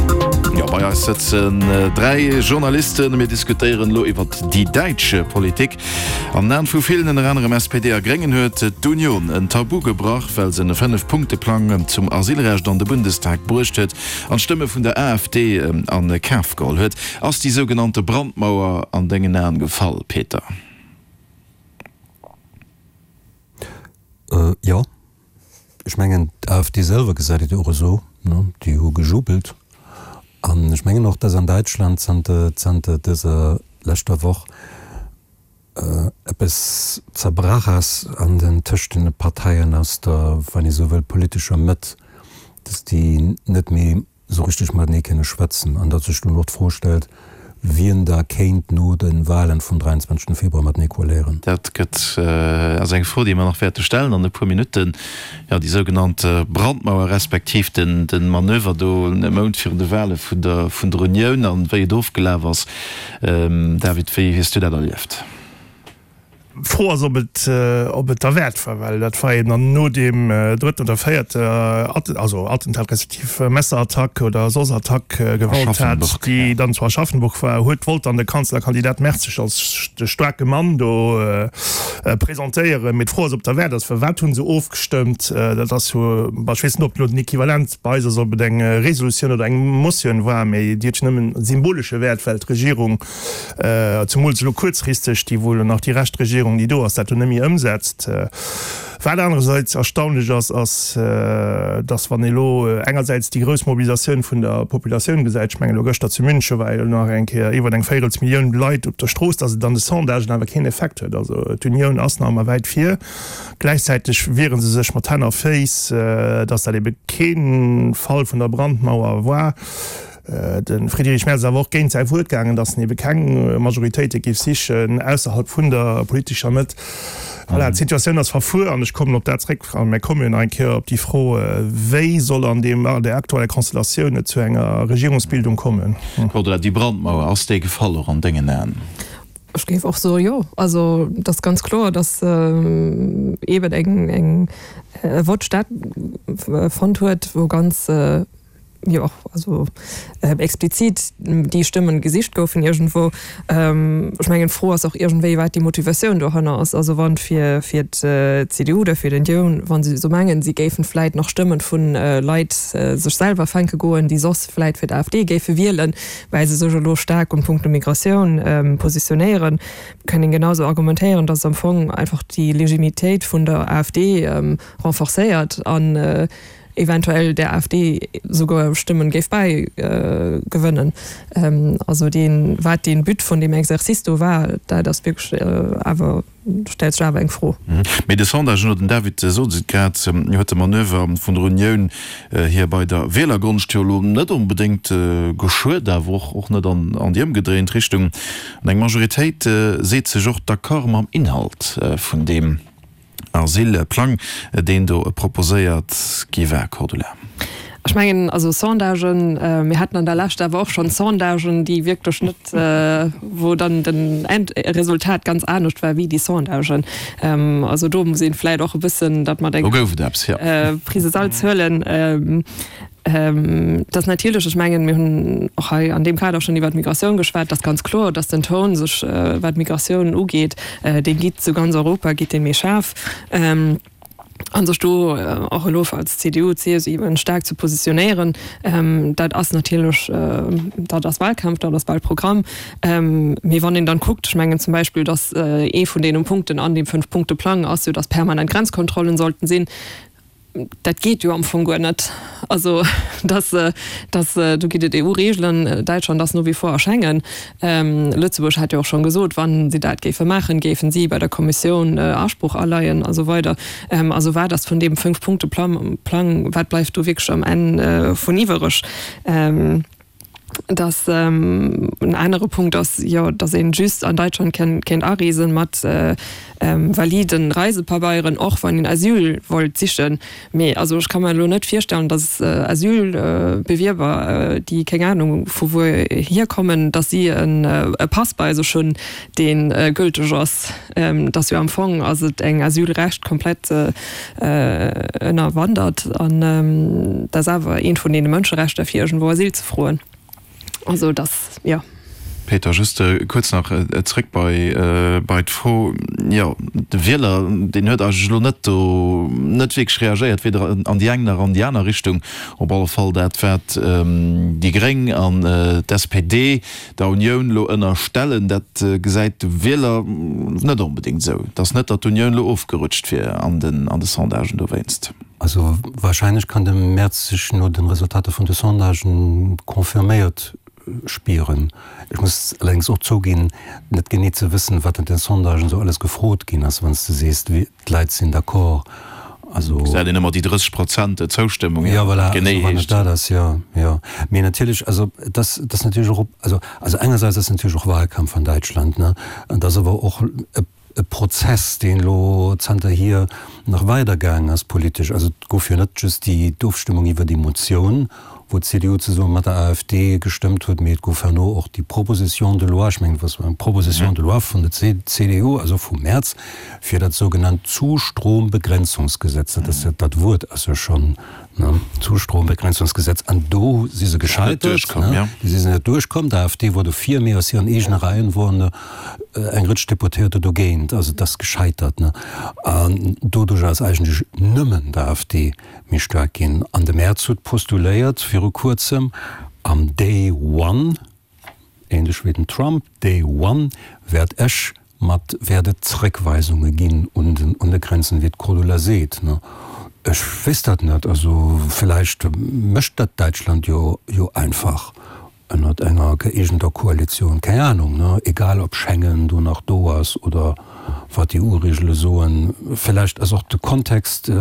Jo, bei eis sëtzen 3 Journalisten. Mir diskutéieren elo iwwert déi däitsch Politik. An den Aen vu villen, ënner anerem SPD a Gréngen, huet d'Union en Tabu gebrach, well se en 5-Punkte-Plang zum Asylrecht an de Bundestag bruecht huet an d'Stëmme vun der AfD a Kaf geholl huet. Ass déi sougenannte Brandmauer an dengen Aen gefall, Peter? Jo. Ech mengen, d'AfD selwer gesäit et jo och esou, ne? Déi hu gejubelt. An ech mengen och, dass an Däitschland zanter, zanter dëser leschter Woch eppes zerbrach ass an den, tëscht den Parteien aus der, wann ee sou wëll, politescher Mëtt, dass déi net méi esou richteg matenee kënne schwätzen an datt sech dunn och d'Fro stellt, wien da kéint no de Wahlen vum 23. Februar matenee koaléieren. Dat gëtt, ass eng Fro, déi mer nach wäerte stellen an e puer Minutten. Jo, déi sougenannt Brandmauer respektiv den Manöver do e Mount virun de Wahle vun der vun der Unioun an wéi et ofgelaf ass. David, wéi hues du dat erlieft? D'Fro ass, ob et, ob et derwäert war, well dat war eben dann no deem drëtten oder véierte also Attentat respektiv Messerattack oder soss Attack, Gewalttat, déi dann zu Aschaffenburg war, huet, wollt dann de Kanzlerkandidat Merz sech als de staarke Mann do presentéieren. Mee d'Fro ass, ob et derwäert ass, well wat hu se ofgestëmmt? Dat ass jo, bon, ech weess net, ob elo den Equivalent bei eis ass, ob et eng Resolutioun oder eng Motioun war, mee déi huet jo nëmmen symbolesche Wäert, well d'Regierung, Zemools elo kuerzfristeg, déi wou elo nach déi rescht Regierung, déi do ass, dat do net méi ëmsetzt. Wat anerersäits erstaunlech ass, ass, datt wann ee elo engersäits déi grouss Mobilisatioun vun der Populatioun gesäit, ech mengen elo gëschter zu München war jo nach eng Kéier iwwer eng Véirelsmillioun Leit op der Strooss, datt et an de Sondagen awer keen Effekt huet. Also d'Unioun ass nach ëmmer wäit vir. Gläichzäiteg wiere se sech mat Hänn a Féiss, datt dat ebe kee Fall vun der Brandmauer war. De Friedrich Merz ass awer och géint säi Wuert gaangen, datt en ebe keng Majoritéite géif sichen ausserhalb vun der politescher Mëtt. Voilà, d'Situatioun ass verfuer an ech kommen op dat zréck, a mir komme jo nach eng Kéier op déi Fro, Wéi soll an deem, an där aktueller Konstellatioun et zu enger Regierungsbildung kommen? Cordula, déi Brandmauer, ass déi gefall och an dengen Aen? Ech géif och soe jo. Also et ass ganz kloer, datt eeben eng, eng e Vott stattfonnt huet, wou ganz, jo also explizit déi Stëmmen gesicht goufen iergendwou. Ech mengen d'Fro ass och iergendwéi wat déi Motivatioun dohanner ass. Also wann fir fir d'CDU oder fir d'Unioun, wa se esou mengen, si géifen vläit nach Stëmmen vun Leit sech selwer fänke goen, déi soss vläit fir d'AfD géife wielen, well se sech elo staark um Punkto Migratioun positionéieren, kann een genau esou argumentéieren, datt am Fong einfach déi Legimitéit vun der AfD renforcéiert an eventuell der AfD souguer Stëmmen géif bäi gewënnen. Also deen, wat dee But vun deem Exercice do war, dat ass wierklech awer, stellt sech awer eng Fro. Mee de Sondage no, den David sot et grad, huet de Manöver vun der Unioun hir bei der Wielergonscht jo elo net onbedéngt geschuet, awer och net an déi ëmgedréint Richtung. An eng Majoritéit seet sech och d'accord mam Inhalt vun deem. Asylplang, deen do proposéiert gi war, Cordula? Ech mengen, also Sondagen, mir haten an der Lescht awer och schonn Sondagen, déi wierklech net, wou dann den Endresultat ganz anescht war wéi déi Sondagen. Also do muss ee vläicht och e bëssen dat mat enger Prise Salz huelen. Dass natierlech, ech mengen, mir hunn och hei an deem Kader schonn iwwert d'Migratioun geschwat, dass ganz kloer, dass den Toun sech, wat d'Migratioun ugeet, dee gitt zu ganz Europa gitt dee méi schaarf. A sech do och elo als CDU, CSU eben staark ze positionéieren, dat ass natierlech, dat ass Wahlkampf, dat ass Wahlprogramm. Mee wann een dann kuckt, ech mengen zum Beispill, dass ee vun deenen Punkten an deem Fünf-Punkte-Plang ass jo, dass permanent Grenzkontrollen sollten sinn. Dat geet jo am Fong guer net. Also dass, dass, do gitt et EU-Regeln, Däitschland ass no wie vor a Schengen. Lëtzebuerg hat jo och schonn gesot, wa si dat géife maachen, géifen si bei der Kommissioun Asproch aleien a sou weider. Also wat ass vun deem Fünf-Punkte-Plang, wat bleift do wierklech am Enn vun iwwereg? Dass en anere Punkt ass jo, dass ee just an Deutschland kéint areesen mat validen Reisepabeieren, och wann een Asyl wollt sichen. Mee also ech ka mer elo net virstellen, dass Asylbewierber, déi keng Ahnung vu wou hierkommen, dass si e Pass bei sech hunn, dee gülteg ass. Et ass jo am Fong ass et eng Asylrecht komplett ënnerwandert an dat ass awer eent vun deene Mënscherechter fir iergendwou Asyl ze froen. Also dat, jo. Peter, just kuerz nach zréck bei bei d'Fro, jo de Wieler deen huet eigentlech elo net do net wierklech reagéiert, weder an déi eng nach an déi aner Richtung. Op alle Fall dat wat déi Gréng an d'SPD der Unioun elo ënnerstellen, dat gesäit de Wieler net onbedéngt esou. Et ass net, datt d'Unioun elo ofgerutscht wier an de Sondagen dowéinst. Also warscheinlech kann de Merz sech no de Resultater vun de Sondagen confirméiert spieren. Ech muss allerdéngs och zouginn, net genee ze wëssen, wat an den Sondagen esou alles gefrot ginn ass, wann s de sees, D'Leit sinn d'accord. Also. Gesäit een ëmmer déi 30 Prozent Zoustëmmung, jo, voilà, wat genee heescht. Dat ass, jo, jo. Mee natierlech, also et ass, et ass natierlech och, also, also engersäits ass natierlech och Wahlkampf an Däitschland, ne? An et ass awer och e, e Prozess, deen elo zanterhier nach weidergaangen ass politesch. Also et gouf jo net just déi, d'Ofstëmmung iwwer déi Motioun, wou d'CDU zesumme mat der AfD gestëmmt huet, mee et gouf herno och déi Proposition de loi, ech mengen, et war eng Proposition de loi vun der CDU, also vum März, fir dat sougenannt Zustrombegrenzungsgesetz, dat ass jo, dat Wuert ass jo schonn, ne, Zustrombegrenzungsgesetz, an do si se gescheitert, ne, do si se net duerchkomm. D'AfD wor dofir, mee aus hiren eegene Reien woren eng Rëtsch Deputéierter dogéint, also et ass gescheitert, ne, an doduerch ass eigentlech nëmmen d'AfD méi staark ginn. An de Merz huet postuléiert viru kuerzem, am Day One, ähnlech wéi den Trump, Day One wäert ech mat, wäert et Zréckweisunge ginn un den, un de Grenzen, wéi d'Cordula seet. Ech weess dat net. Also villäicht mécht dat Däitschland jo, jo einfach. Ënnert enger gëeegenter Koalitioun, keng Ahnung, ne, egal ob Schengen do nach do ass oder wat d'EU-Regele soen. Villäicht ass och de Kontext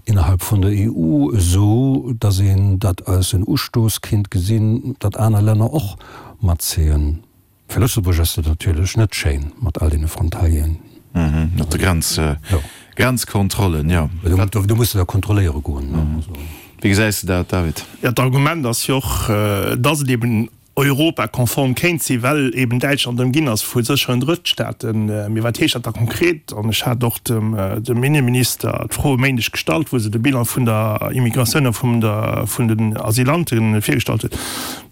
innerhalb vun der EU esou, datt een dat als en Ustooss kinnt gesinn, datt aner Länner och matzéien. Fir Lëtzebuerg ass dat natierlech net schéin mat all deene Frontalieren. Mat de Grenz, Grenzkontrollen, jo. Do muss de da kontrolléiere goen. Wéi gesäis de dat, David? Jo, d'Argument ass jo och, datt et eben europakonform kéint sinn, well eben Däitschland ëmginn ass vu sécheren Drëttstaaten. Mee wat heescht dat da konkret? An ech hat och dem dem Inneminister d'Fro e Méindeg gestallt, wou se de Bilan vun der Immigratioun a vun der vun den Asylante virgestallt huet.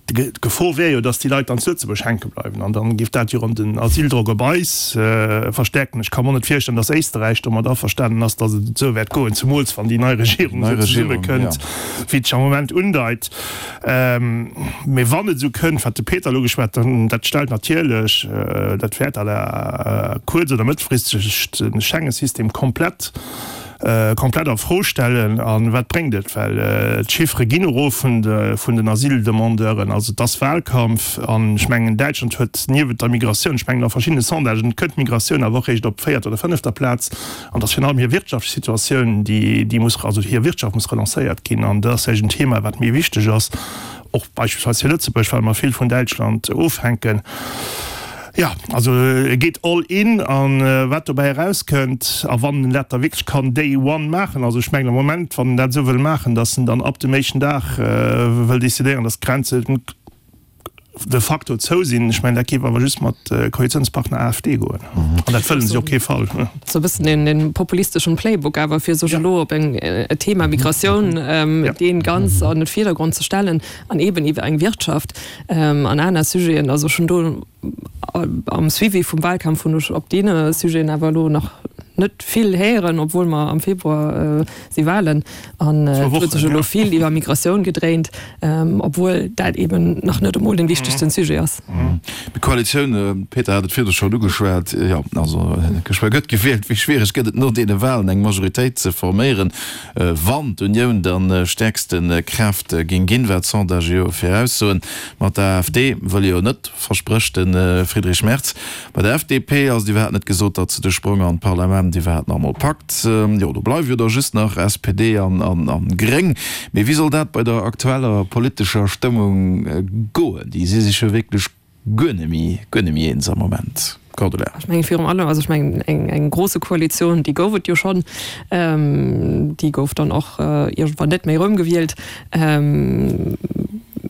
D'Gefor wär jo, datt déi Leit dann zu Lëtzebuerg hänke bleiwen an dann géif dat jo erëm den Asyldrock op eis verstärken. Ech ka mer och net virstellen, datt Éisterräich domat averstanen ass, datt et esou wäert goen, zemools wann déi nei Regierung esou zesummekënnt, wéi et sech am Moment undeit. Mee wann et esou kënnt, wat de Peter elo geschwat huet, dat stellt natierlech, dat wäert à la kuerz oder mëttelfristeg de Schengen-System komplett, komplett a Fro stellen. A wat bréngt et? Well d'Chiffere ginn erof vun den Asyldemandeuren. Also et ass Wahlkampf. An ech mengen, Däitschland huet niewent der Migratioun, ech mengen a verschiddene Sondagen kënnt d'Migratioun awer och réischt op véierter oder fënnefter Plaz. An et ass virun allem hir wirtschaftlech Situatioun, déi muss, also hir Wirtschaft muss relancéiert ginn. An dat ass vläicht en Thema, wat méi wichteg ass. Och beispillsweis fir Lëtzebuerg, well mer vill vun Däitschland ofhänken. Jo, also e geet all in a wat dobäi erauskënnt a wann en dat da wierklech kann day one maachen, also ech mengen am Moment, wann en dat esou wëll maachen, datt en dann ab dem éischten Dag wëll decidéieren, datt d'Grenze de facto zou sinn, ech mengen dat géif awer just mat Koalitiounspartner AfD goen an dat wëllen si op kee Fall. Sou e bëssen een populisteschen Playbook awer fir sech elo op eng Thema Migratioun deen ganz an den Virdergrond ze stellen an eben iwwer eng Wirtschaft an aner Sujeten. Also ech hunn do am Suivi vum Wahlkampf hunn ech op deene Sujeten awer elo nach. net vill héieren, obwuel mer am Februar si Walen an et huet sech elo vill iwwer Migratioun gedréint, obwuel dat eben nach net emol den wichtegsten Sujet ass. D'Koalitioun, Peter hat et virdu schonn ugeschwat, jo also geschwë gëtt gewielt. Wéi schwiereg gëtt et no deene Walen eng Majoritéit ze forméieren, wann d'Unioun dann stäerkste Kraaft géing ginn, wat d'Sondagë jo viraussoen? Mat der AfD wëll jo net, versprécht de Friedrich Merz. Bei der FDP ass et iwwerhaapt net gesot, datt se de Sprong an d'Parlament iwwerhaapt nach emol packt. Jo, do bleiwe jo da just nach SPD an Gréng. Mee wéi soll dat bei der aktueller politescher Stëmmung goen? Déi si sech jo wierklech guer net méi, guer net méi eens am Moment. Cordula. Ech mengen virun allem, also ech mengen eng, eng grosse Koalitioun, déi gouf et jo schonn. Déi gouf dann och iergendwann net méi erëmgewielt.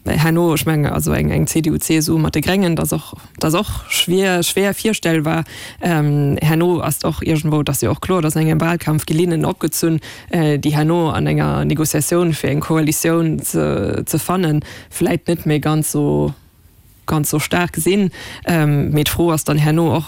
Herno, ech mengen, also eng, eng CDU-CSU mat de Gréngen, dat ass och, Dat ass och schwier, schwer virstellbar. Herno ass och iergendwou, et ass jo och kloer, dass an engem Wahlkampf gi Linnen opgezunn, déi herno an enger Négociatioun fir eng Koalitioun ze, ze fannen, vläit net méi ganz esou, ganz esou staark sinn. Mee d'Fro ass dann herno och,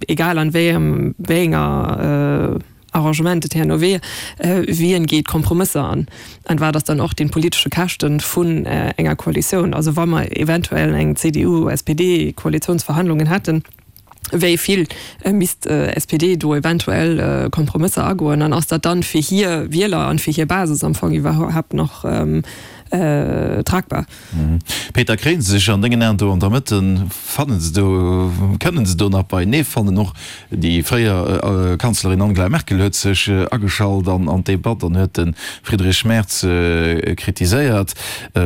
egal an wéi engem, wéi enger, Arrangement et herno wier, wien geet Kompromësser an an wat ass dann och den politesche Käschten vun enger Koalitioun. Also wa mer eventuell eng CDU-SPD-Koalitiounsverhandlungen hätten, wéi vill misst SPD do eventuell Kompromësser agoen an ass dat dann fir hir Wieler an fir hir Basis am Fong iwwerhaapt nach tragbar? Peter, kréien se sech an dengen Aen do an der Mëtt, fannen se do, kënnen se do nach beienee fannen? Och déi fréier Kanzlerin Angela Merkel huet sech ageschalt an d'Debatt an huet de Friedrich Merz kritiséiert.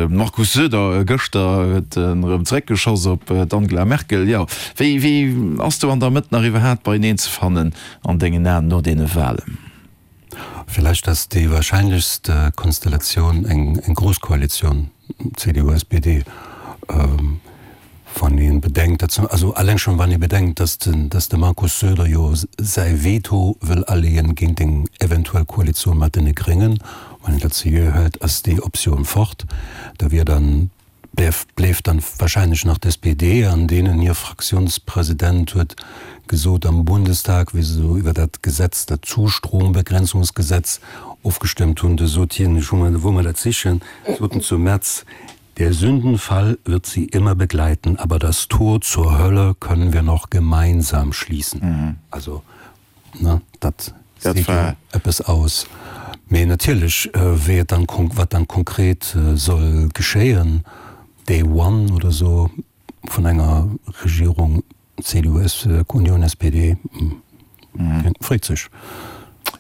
Markus Söder gëschter huet en erëm zeréckgeschoss op d'Angela Merkel. Jo, wéi wéi ass do an der Mëtt nach iwwerhaapt beieneen ze fannen an dengen Aen no deene Wahlen? Villäicht ass déi wahrscheinlechst Konstellatioun eng grouss Koalitioun, CDU, SPD, wann ee bedenkt, datt, also alleng schonn wann ee bedenkt, datt den, datt de Markus Söder jo säi Veto wëll aleeën géint eng eventuell Koalitioun mat deene Gréngen. Wann een dat seriö hëlt, ass déi Optioun fort. Da wier dann Bléift dann wahrscheinlech nach d'SPD, an deenen hir Fraktionspresident huet gesot am Bundestag, wéi se do iwwer dat Gesetz, dat Zustrombegrenzungsgesetz ofgestëmmt hunn, do sot hien, ech hu mer, wou mer dat sichen, sot en zum Merz, Der Sündenfall wird sie immer begleiten, aber das Tor zur Hölle können wir noch gemeinsam schließen. Also, Ne, dat seet jo eppes aus. Mee natierlech, wéi et dann, wat dann konkret soll geschéien, Day one oder esou vun enger Regierung CDU, Union, SPD, freet sech.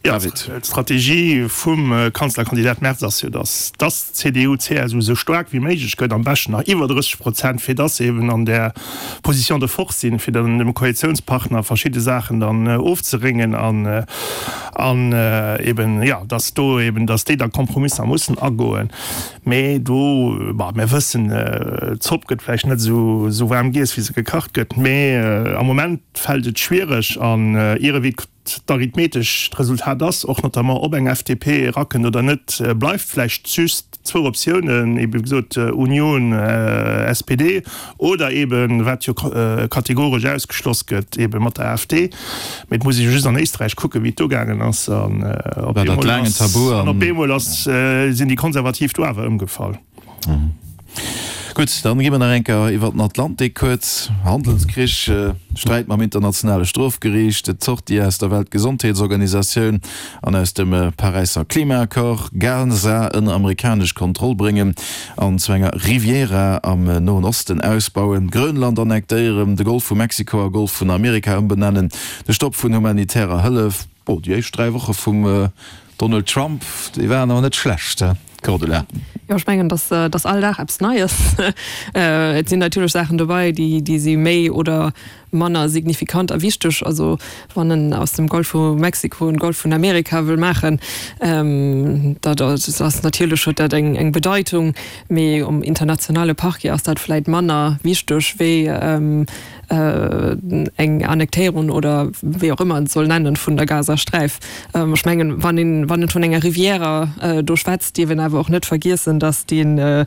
Jo, d'Strategie vum Kanzlerkandidat Merz ass jo, datt d'CDU, CSU esou staark wéi méiglech gëtt, am beschten nach iwwer 30 Prozent, fir datt se eben an där Position de force sinn, fir dann dem Koalitiounspartner verschidde Saachen dann ofzeréngen an an eben, jo, datt do eben, datt déi da Kompromisser mussen agoen. Mee do, bon, mir wëssen, d'Zopp gëtt vläicht net esou esou waarm giess, wéi se gekacht gëtt, mee am Moment fält et schwiereg an ierewéi d'arithmetesch d'Resultat ass, och notamment ob eng FDP erakënnt oder net, bleift vläicht just zwou Optiounen, ebe wéi gesot Union, SPD oder eben, wat jo kategoresch ausgeschloss gëtt, ebe mat der AfD. Mee et muss ee jo just an Éisträich kucken, wéi et do gaangen ass an op eemol ass, an op eemol ass, sinn déi Konservativ do awer ëmgefall. Gutt, dann gi mer nach eng Kéier iwwer den Atlantik kuerz. Handelskrich, Sträit mam internationale Strofgeriicht, d'Sortie aus der Weltgesondheetsorganisatioun an aus dem Paräisser Klimaaccord, Gaza ënner amerikanesch Kontroll bréngen an zu enger Riviera am Noen Osten ausbauen, Grönland annektéieren, de Golf vu Mexiko a Golf vun Amerika ëmbenennen, de Stopp vun humanitärer Hëllef. Bon, déi éischt 3 Woche vum Donald Trump, déi waren awer net schlecht, he Cordula? Jo, ech mengen, dass dass all Dag eppes Neies. Et sinn natierlech Saachen dobei, déi déi si méi oder manner signifikant a wichteg. Also wann en aus dem Golf vu Mexiko en Golf vun Amerika wëll maachen, dat ass natierlech huet dat eng eng Bedeitung, mee um internationale Parquet ass dat vläit manner wichteg wéi eng Annektéierung oder wéi och ëmmer et soll nennen vun der Gazasträif. Ech mengen, wann een wann een vun enger Riviera do schwätzt, dierf een awer och net vergiessen, datt dee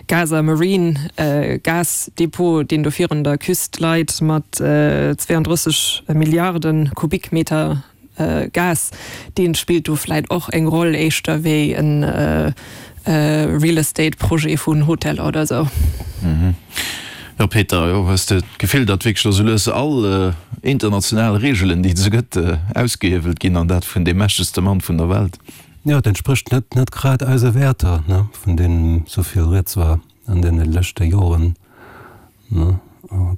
Gaza Marine Gasdepot, deen do virun der Küst leit, mat 32 Milliarde Kubikmeter. Gas, dee spillt do vläit och eng Roll éischter wéi e Real Estate Projet vun Hoteller oder esou. Jo Peter, jo hues de d'Gefill, datt wierklech elo sou lues all international Reegelen, déi et esou gëtt, ausgehiewelt ginn, an dat vun deem mächtegste Mann vun der Welt? Jo, et entsprécht net net grad eise Wäerter, ne, vun deenen esou vill rieds war an deene leschte Joren, ne.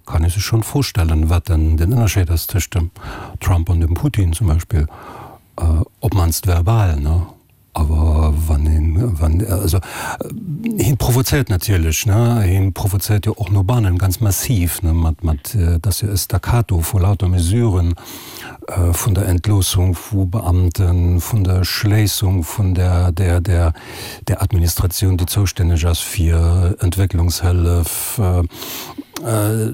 Kann ee sech schonn vorstellen, wat dann den Ënnerscheed ass tëscht dem Trump an dem Putin zum Beispill, op d'mannst verbal, ne. Awer wann een, wann, also hien provozéiert natierlech, ne, hien provozéiert jo och no bannen ganz massiv, ne, mat, mat, et ass jo e Staccato vu lauter Mesuren, vun der Entloossung vu Beamten, vun der Schléissung vun der, der, der, der Administratioun, déi zoustänneg ass fir Entwécklungshëllef.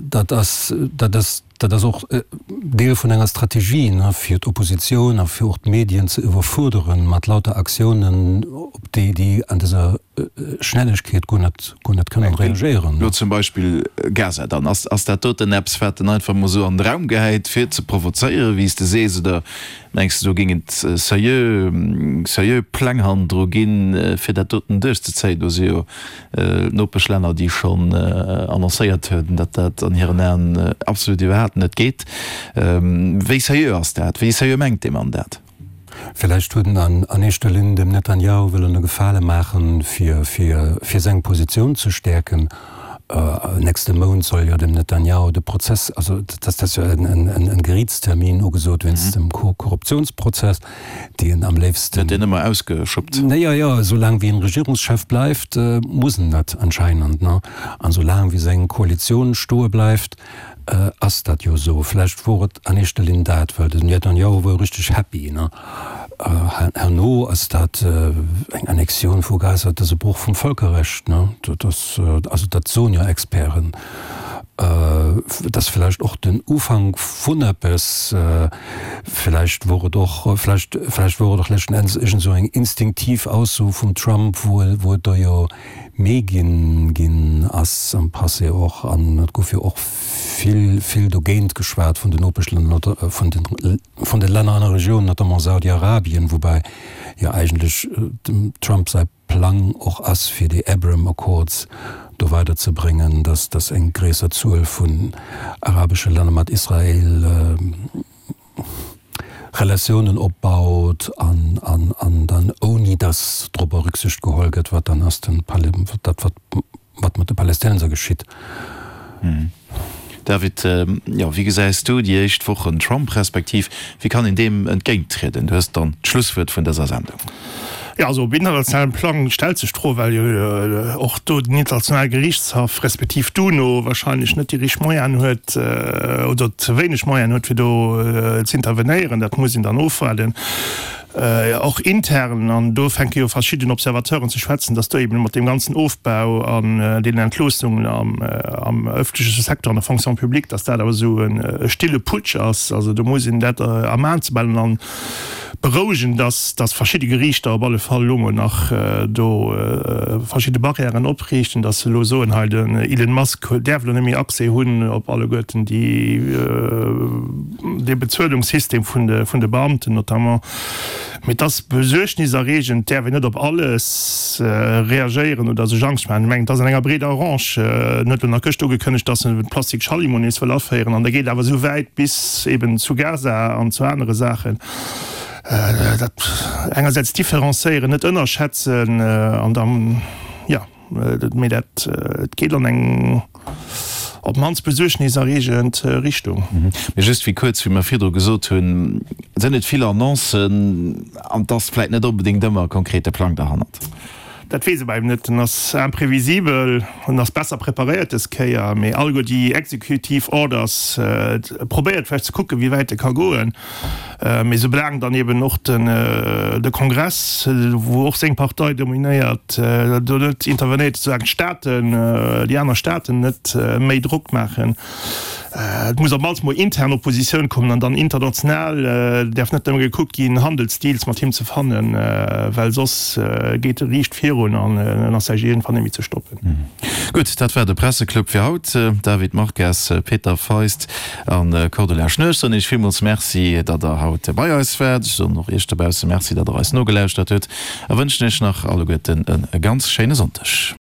Dat ass, dat ass. Dat ass och Deel vun enger Strategie, fir d'Oppositioun a fir och d'Medien ze iwwerfuerderen mat lauter Aktiounen, op déi déi an dëser Schnellegkeet guer net, guer net kënnen reagéieren. Elo zum Beispill Gaza dann. Ass, ass dat doten eppes, wat en einfach emol esou an de Raum gehäit, fir ze provozéieren, wéi s de sees, oder mengs de, do géing et seriö, seriö Pläng hannendru ginn, fir dat doten duerchzezéien? Do si jo Nopeschlänner, déi schonn annoncéiert hunn, datt dat an hiren Aen absolut iwwerhaapt net geet. Wéi seriö ass dat? Wéi seriö mengt dee Mann dat? Villäicht huet en an éischter Linn dem Netanjahu wëllen e Gefale maachen, fir fir seng Positioun ze stäerken. Nächste Mount soll jo dem Netanjahu de Prozess, also dat ass jo en Geriitstermin ugesot wéinst dem Korruptiounsprozess. déi en am léifsten. Gëtt deen ëmmer ausgeschuppt? Jo, jo, esou laang wéi en Regierungschef bleift, muss en dat anscheinend, ne? An esou laang wéi seng Koalitioun stoe bleift, ass dat jo esou. Vläicht wor et an éischter Linn dat, well den Netanjahu wor jo richteg happy, ne? Herno ass dat eng Annexioun vu Gaza, dat ass e Broch vum Vëlkerrecht, ne? Dat ass, also dat soen jo Experten. Et ass vläicht och den Ufank vun eppes. Vläicht wor et och, vläicht, vläicht wor et och leschten Endes iergend esou eng instinktiv Ausso vum Trump, wou e, wou et der jo méi ginn, ginn ass am Passé och. An et gouf jo och vill, vill dogéint geschwat vun den Nopeschlänner, vun den, vun de Länner an der Regioun, notamment Saudi-Arabien, woubäi jo eigentlech dem Trump säi Plang och ass, fir déi Abraham Accords do weider ze bréngen, dass dass eng gréisser Zuel vun arabesche Länner mat Israel Relatiounen opbaut an an an dann ouni dass dorobber Rücksicht geholl gëtt, wat dann ass den dat wat wat mat de Palästinenser geschitt. David, jo, wéi gesäis du déi éischt Wochen Trump, respektiv wéi kann een deem entgéinttrieden? Du hues dann d'Schlusswuert vun dëser Sendung. Jo, also op internationalem Plang stellt sech d'Fro, well jo och do den Internationale Geriichtshaff respektiv d'UNO wahrscheinlech net déi richteg Moyenen huet oder ze wéineg Moyenen huet, fir do z'intervenéieren. Dat muss een dann ofwaarden. Och intern, an do fänke jo verschidden Observateuren ze schwätzen, datt do eben mat deem ganzen Ofbau an deenen Entloossungen am ëffentleche Secteur, an der Fonction publique, datt dat awer esou e stille Putsch ass. Also do muss een dat am Aen ze behalen an berouegen, datt verschidde Geriichter op alle Fall elo mol nach do verschidde Barrièren opriichten, datt se elo soen, hei den Elon Musk däerf elo net méi Accès hunn op alleguerten déi, dee Bezuelungssystem vun de vun de Beamten notamment. Mee et ass besuergniserreegend, et däerf een net op alles reagéieren oder sech Angscht maachen. Ech mengen, et ass an enger breeder Range. En huet elo nach gëscht ugekënnegt, datt en de Plastik Schallimo nees wëll aféieren an da geet awer esou wäit bis eben zu Gaza an zu anere Saachen. Dat engersäits différencéieren, net ënnerschätzen an dann, jo. Mee dat geet an eng op d'mannst besuergniserreegend Richtung. Mee just wéi kuerz, wéi mer virdru gesot hunn, sinn et vill Annoncen an et ass vläit net onbedéngt ëmmer e konkrete Plang derhannert. Dat weess e bei him net. En ass imprevisibel, en ass besser preparéiert dës Kéier, mee alleguer déi executive orders, e probéiert vläicht ze kucken, wéi wäit e ka goen. Mee soulaang dann eben och de Kongress, wou och seng Partei dominéiert, do net intervenéiert, soulaang d'Staaten, déi aner Staaten net méi Drock maachen, et muss op mannst mol intern Oppositioun kommen an dann international däerf net nëmme gekuckt ginn, Handelsdeals mat him ze fannen, well soss geet e riicht virun. virun an en ass vläicht iergendwann net méi ze stoppen. Gutt, dat war de Presseclub fir haut. David Marques, Peter Feist a Cordula Schnur. Ech soen Iech villmools Merci, datt Der haut bei eis waart. Ech soen och Iech dobausse Merci, datt Der eis nogelauschtert hutt a wënschen Iech nach alleguerten e ganz schéine Sonndeg.